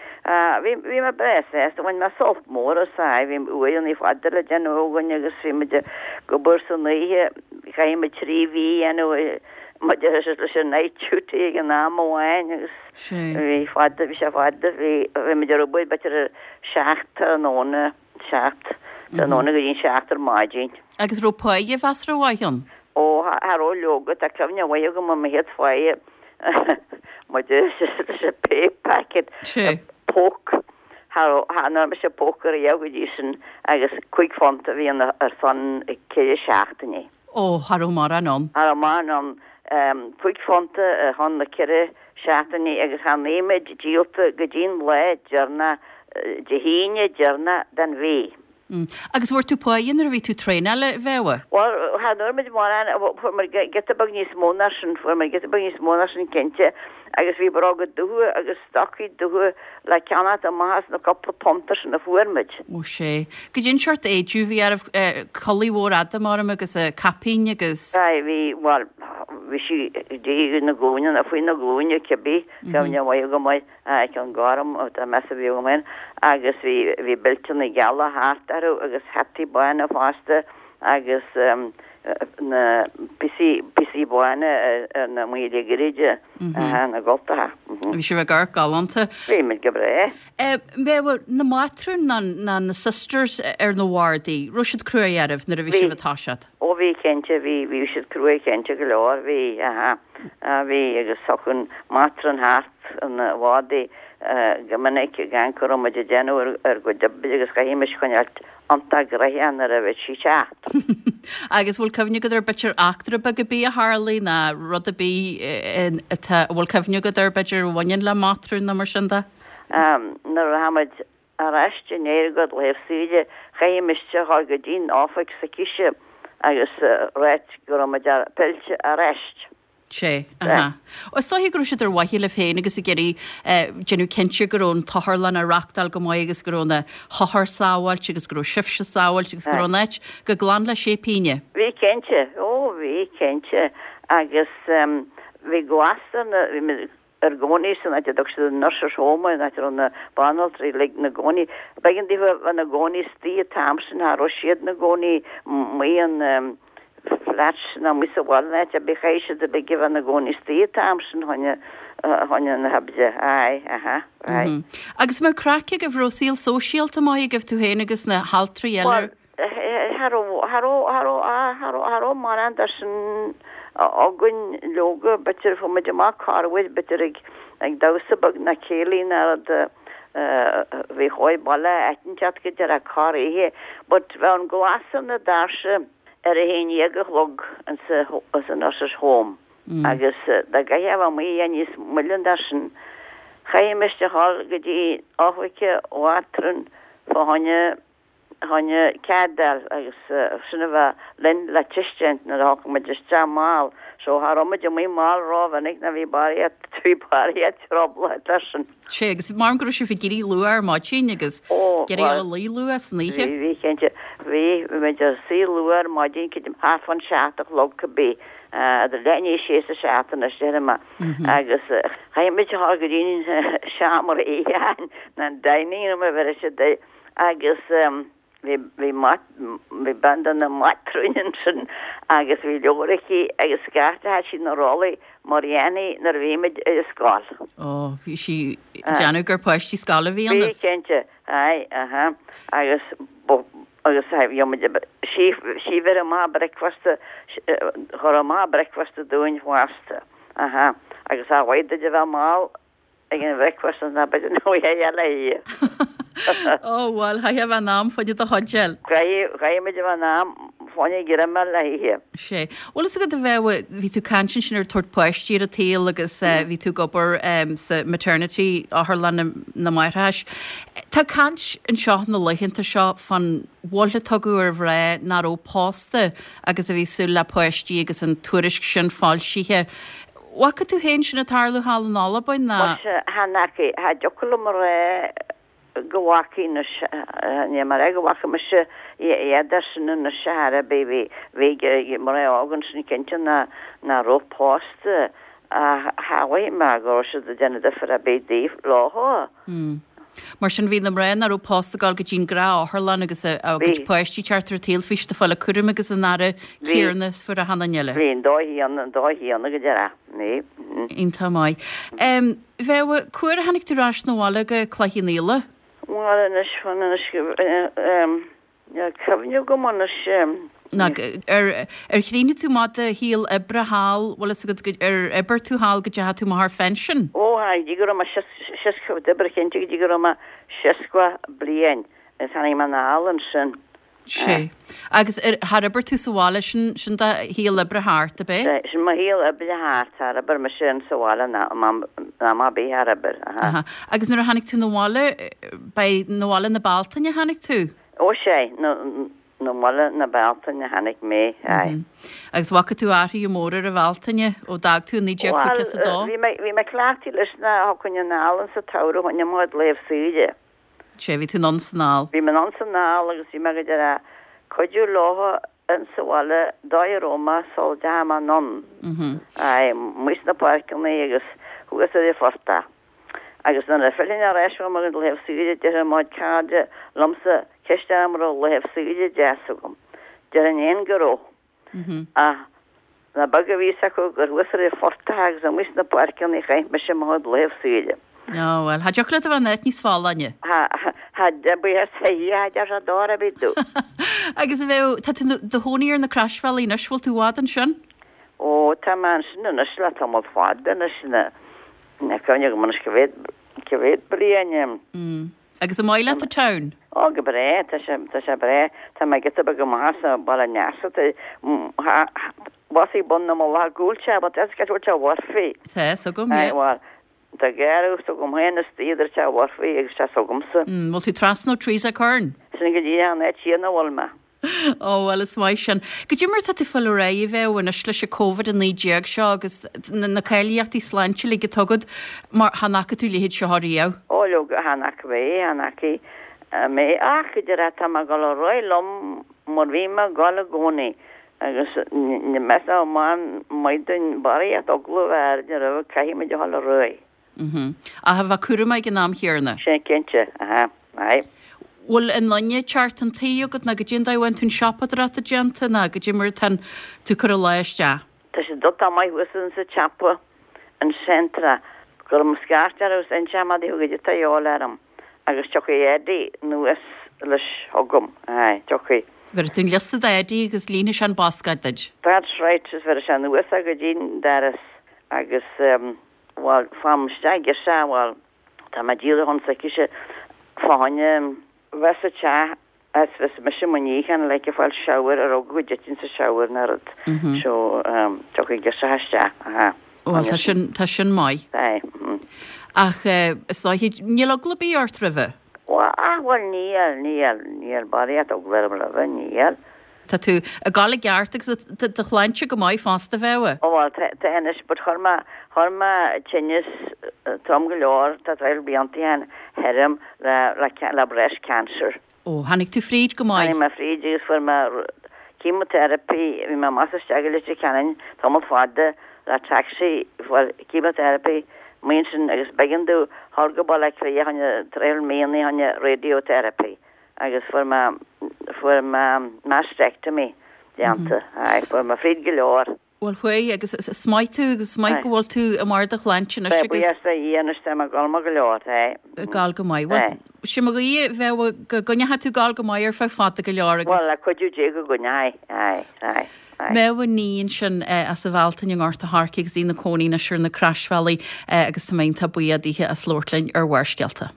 bhí, bhí mé breá sásta, bhain mé sult mór as, aye, bhí uaireanna fada le déanamh againn agus bhí muid ag obair san oíche, chaith muid trí mhí a dhéanamh maidir leis an night duty ag an am amháin agus bhí fada, bhí sé fada, bhí, bhí muid ar obair b'fhéidir ar seacht tráthnóna, seacht tráthnóna go dtí an seacht ar maidin. Agus raibh páighe mheasartha mhaith ann? Ó, cha raibh leoga, tá cuimhne mhaith agam ar mo chéad pháighe maidir leis an pay packet, poc, cha raibh, cha ndearna mise poc ariamh go dtí sin agus cúig phunt a bhí ann ar son ceithre seachtainí. Ó, cha raibh mórán ann. Cha raibh mórán ann. Cúig phunt ar son na ceithre seachtainí agus chan bhí muid díolta go dtí an lá deireanach, Dé hAoine deireanach den mhí. Agus bhfuair tú páighe nuair a bhí tú traenáil, a Mhéabha? Bhuel, chan fhuair muid mórán, fuair muid giota beag níos mó ná sin, fuair muid giota beag níos mó ná sin cinnte agus bhí bróga dubha agus stocaí dubha le ceannacht amach as na cúpla punta sin a fuair muid. Ó sé. Goidé an seort éide a bhí oraibh, culaith mhór fhada maram agus caipín agus. Aye, bhí, bhuel, bhí sí go dtí na glúine, nó faoi na glúine cibé, cuimhne mhaith agam air, aye, ceann gorm, tá meas a bhí agam air, agus bhí, bhí beilteanna geala thart orthu agus hataí bána fosta agus na píosaí píosaí bána ar na maoile gréide na gcultacha. Bhí sibh ag amharc galánta. Bhí muid go breá. Méabha, na matrúin ná ná na sisters ar na wardaí, raibh siad cruaidh oraibh nuair a bhí sibh ag toiseacht? Ó bhí cinnte, bhí bhí siad cruaidh cinnte go leor, bhí, aha, bhí agus thiocfadh an matron thart an wardaí go minic ag amharc cá raibh muid ag déanamh ar ár gcuid oibre agus chaithimis coinneáilt iontach gnoitheach nuair a bhí sí ag teacht. Agus bhfuil cuimhne agat ar b'fhéidir eachtra beag ar bith a tharlaigh ná rud ar bith atá, a bhfuil cuimhne agat air b'fhéidir a bhaineann le matrún nó mar sin de? Nuair a tháinig muid ar ais i ndiaidh ár laetha saoire chaithimis a dhul go dtí'n oifig s'aicise agus ráit go raibh muid pillte ar ais. Sé, aha. Is dóiche go raibh siad ar mhaithe libh féin agus ag iarraidh déanamh cinnte go raibh an t-otharlann á reachtáil go maith agus go raibh na hothair sábháilte agus go raibh sibhse sábháilte agus go raibh an áit go glan le sé pínne. Bhí cinnte, ó bhí cinnte agus bhí glas ar na, bhí muid ar gcónaí san áit a dtug siad an Nurses Home an áit a raibh na banaltraí uilig 'na gcónaí. B'éigean daofa bheith 'na gcónaí istigh an t-am sin, cha raibh siad 'na gcónaí amuigh in flats ná amuigh sa bhaile ná áit ar bith, chaithfidh siad uilig a bheith 'na gcónaí istigh an t-am sin choinne, choinne na hoibre. Aye, aha, aye. Agus an mbeadh craic agaibh, raibh saol sóisialta maith agaibh tú féin agus na haltraí eile? Bhuel, cha raibh, cha raibh, cha raibh, ah, cha raibh, cha raibh mórán de sin againn leoga, b'fhéidir fuair muid amach corruair, b'fhéidir ag, ag damhsa beag ná céilí ná rud, bhí chóir baile áit inteacht go deireadh corroíche, but bheadh an glas ar na doirse, ar a haon dhéag a chlog insa Nurses Home agus dá gcaithfeá a bheith amuigh níos moille ná sin, chaithimis a dhul go dtí oifig an mhátrún fá choinne choinne cead a fháil agus sin a bheith linn le tuiscint nuair a thiocfadh muid isteach mall. So cha raibh muid amuigh mall rómhinic ná bhí barraíocht bhí barraíocht trioblóid leis sin. Sé, agus mar go raibh sibh ag éirí luath ar maidin agus ag éirí a luí luath san oíche. Bhí, bhí, cinnte. Bhí, bhí muid ag suí luath ar maidin, creidim thart fán seacht a chlog cibé, idir leath i ndiaidh a sé is a seacht anois, déarfaidh mé. Agus chaith muid a dhul go dtí an seomra itheacháin, nó an dining room a bheireadh siad air, agus bhí, bhí mat, bhí bean de na matrúin ansin agus bhí leabhar aici agus scairteadh sí na rollaí mar a dhéanfaí nuair a bhí muid ar an scoil. Ó, bhí sí ag déanamh gur páistí scoile a bhí ionaibh. Bhí, cinnte. Aye, aha. Agus agus bhí muid, sí, sí bheir amach bricfeasta, chuir amach bricfeasta dúinn fosta. Aha. Agus ba mhaith duit a bheith mall ag an bhricfeasta ná b'fhéidir nach bhfuil eile í. Ó, bhuel, chaithfeá a bheith in am fá choinne do chuid eile. Chaithfeadh, chaithfeadh muid a bheith in am fá choinne greim a fháil le hithe. Sé. Bhfuil fhios agat a bheith, bhí tú ag caint ansin ar tabhairt páistí ar an tsaol agus bhí tú ag obair sa maternity, otharlann na máithreachais. Tá caint anseo na laethanta seo fán mhoill a tugadh ar mhná nach raibh pósta agus a bhí ag súil le páistí agus an tuairisc sin foilsithe. Bhfaca tú féin sin ag tarlú thall in Albain ná? Muise, chan fhaca, cha dtiocfadh liom a rá go bhfaca anois, ní mar é go bhfaca mise iad sin anois ar chor ar bith, bhí, bhí mná óga ansin cinnte ná, ná raibh pósta ach cha mhothaigh mé go raibh siad ag déanamh difear ar bith daofa, leo. Mar sin bhí na mná nach raibh pósta ag dul go dtí an ghnáth-otharlann agus a gcuid páistí teacht ar an tsaol, bhí siad ag fáil an cúram agus an aire céanna is fuair achan duine eile. Bhí an dóigh chéanna, an dóigh chéanna go deireadh. Bhí. Iontach maith. Bheadh, cá huair a tháinig tú ar ais 'na bhaile go Cloich Cheann Fhaola? Bhuel anois, fan anois go, Níl cuimhne agam anois. Ná ar ar chríochnaigh tú amach do shaol oibre thall, bhfuil fhios agat go ar oibir tú thall go dteachaigh tú amach ar phension? Ó go dtí go raibh mé seasca, d'oibir cinnte go dtí go raibh mé seasca bliain agus tháinig mé anall ansin. Sé. Agus ar char oibir tú sa bhaile, sin sin do shaol oibre thart, ab é? Sin mo shaol oibre thart, char oibir mise in sa bhaile ná ná am ar bith char oibir, aha. Aha. Agus nuair a tháinig tú 'na bhaile, b'é 'na bhaile na Bealtaine a tháinig tú? Ó sé, 'na bhaile na Bealtaine a tháinig mé, aye. Agus bhfaca tú athruithe móra ar an Bhealtaine ó d'fhág tú i naoi déag caoga is a dó? Bhuel, bhí mé, bhí mé cleachtaithe leis ná thiocfainn anall insa tsamhradh chun mo chuid laetha saoire. Sé, bhí tú anonn 's anall. Bhí mé anonn 's anall agus bhí mé go deireadh cuidiú leo insa bhaile dóigh a raibh mé sul dteachaigh mé anonn. Aye, amuigh sna páirceanna agus thuas ar an phortach. Agus nuair a phillfinn ar ais ó mo laetha saoire déarfadh mo chuid cairde liomsa ceist orm an raibh laetha saoire deas agam. Déarfainn fhéin go raibh. Ach nach beag a bhí fhios acu gur thuas ar an phortach agus amuigh sna páirceanna a chaith mise mo chuid laethanta saoire. Ó, bhuel, cha dtiocfadh leat a bheith in áit níos folláine. Ha, ha, buíochas le Dia, cha deir sé dor ar bith domh. Agus a Mhéabh, tá tú i do chónaí ar na Croisbhealaí anois, bhfuil tú i bhfad ansin? Ó, tá mé ansin anois le tamall fada anois, na, na cuimhne agam anois cá mhéad, cá mhéad bliain. Agus an maith leat an town? Ó, go breá, tá sé, tá sé breá. Tá mé giota beag amach as an Baile an Easa, tá, bhuel bun na mullach go bhfuil sé, but that's go bhfuil sé Murphy. Tá, 's agam, yeah. Aye, bhuel, tá garradh s'agam féin istigh idir teach Murphy agus teach s'agamsa. Mm, bhfuil tú trasna ó Teresa Curran? Sin go díreach an áit chéanna a bhfuil mé. Ó, bhuel, is maith sin. Goidé mar tá tú ag fáil ar aghaidh a Mhéabh anois leis an Covid a naoi déag seo agus na cáilíochtaí sláinte uilig atá agat mar chan fhaca tú a leithéid seo riamh. Ó, leoga, chan fhaca mé, chan fhaca mé ach idir tá mé ag dul ar aghaidh liom mar bhí mé ag dul i gcónaí agus meas man maith dúinn barraíocht eagla a bheith orainn roimhe, caithfidh muid a dhul ar aghaidh. Ach a bheith cúramach ag an am chéanna. Sin cinnte, aha, aye. Bhfuil an loinne teart an tí agat ná goidé an dóigh a bhfuil tú an siopadóireacht déanta ná goidé mar atá tú ag cur an lá isteach? Tá sé dulta amach thuas insa tsiopa an Centra go raibh mo scairt orthu is inseoidh mé daofa goidé atá a dhíobháil orm agus tiocfaidh Eddie anuas leis chugam, aye, tiocfaidh. Bhéarfaidh tú an liosta d'Eddie agus líonfaidh sé an bascáid duit. That's right, is bhéarfaidh sé anuas é go dtí'n doras agus bhuel, fágfaidh isteach girseach, bhuel, tá mé díreach chun s'aicise fá choinne bheith sa teach is bheas mise i mo níochán like ag fáil shower ar eagla go dtitfinn sa shower nó rud so tiocfaidh girseach isteach, aha. Bhuel, tá sin, tá sin maith. Aye. Ach is dóiche, níl eagla ar bith ort roimhe? Bhuel, ah, bhuel níl, níl, níl barraíocht eagla orm roimhe, níl. Tá tú ag gabháil i gceart agus tá do shláinte go maith fosta, a Mhéabh. Ó bhuel, tá, tá anois, but chuir mé, chuir mé tinneas trom go leor, tá traidhfil blianta ó shin thirim le, le, le breast cancer. Ó, tháinig tú fríd go maith. Tháinig mé fríd agus fuair mé chemotherapy, bhí mé amach is isteach i Leitir Ceanainn tamall fada le taxi, fuair chemotherapy, amuigh ansin agus b'éigean domh dhul go Baile Átha Cliath fá choinne traidhfil míonna fá choinne radiotherapy. Agus fuair mé, fuair mé mastectomy déanta. Aye, fuair mé fríd go leor. Bhuel, chuaigh, agus is maith tú, agus is maith go bhfuil tú i mbarr do shláinte anois Tá, agus. buíochas le Dia anois, tá mé ag gabháil maith go leor, aye. Ag gabháil go maith. Bhuel, sin mo ghuí, a Mhéabh, go gcoinneoidh tú ag gabháil go maith ar feadh fada go leor agus. Bhuel, le cuidiú Dé go gcoinneoidh, aye, aye, aye. Méabh Ní ansin as an Bhealtaine i nGort a' Choirce agus í ina cónaí anois ar na Croisbhealaí agus tá mé iontach buíoch dithe as labhairt linn ar Bharrscéalta.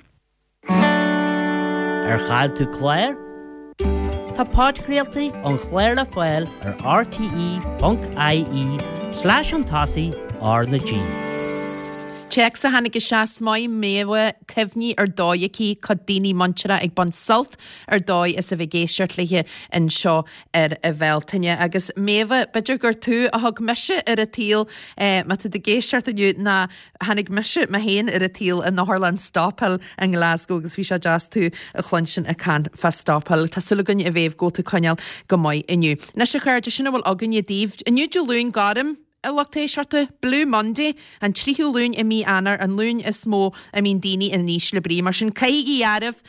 Ar chaill tú clár? Tá podchraoltaí an chláir le fáil ar rte.ie slash chun tosaigh R na G. Téacs a tháinig isteach is maith Méabh cuimhní ar dóigh aici, cuid daoine muinteartha ag baint sult ar dóigh as a bheith ag éisteacht léi anseo ar an Bhealtaine. Agus Méabh, b'fhéidir gur tú a thug mise ar an tsaol, má tá tú ag éisteacht inniu, ná Tháinig mise mé féin ar an tsaol in Otharlann Stobhill i nGlasgow agus bhí sé deas tú a chluinstin ag caint fá Stobhill. Tá súil againn a Mhéabh go bhfuil tú ag coinneáil go maith inniu. Anois a chairde, sin a bhfuil againne daoibh. Inniu Dé Luain Gorm, a lucht éisteachta, Blue Monday, an tríú Luan i mí Eanáir, an Luan is mó a mbíonn daoine in ísle brí. Mar sin caithigí oraibh,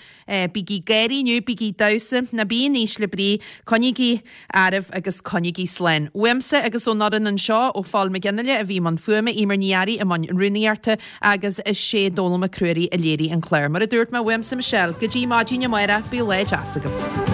bígí ag gáirí inniu, bígí ag damhsa, ná bí in ísle brí, coinnígí oraibh agus coinnígí slán. Uaimse agus ón fhoireann anseo, ó Phól Mac Fhionnghaile a bhí i mbun fuaime, Eimear Ní Fhearraigh i mbun rúnaíochta agus is é Dónal Mac Ruairí a léirigh an clár. Mar a dúirt mé, uaimse Michelle, go dtí maidin amárach, bíodh lá deas agaibh.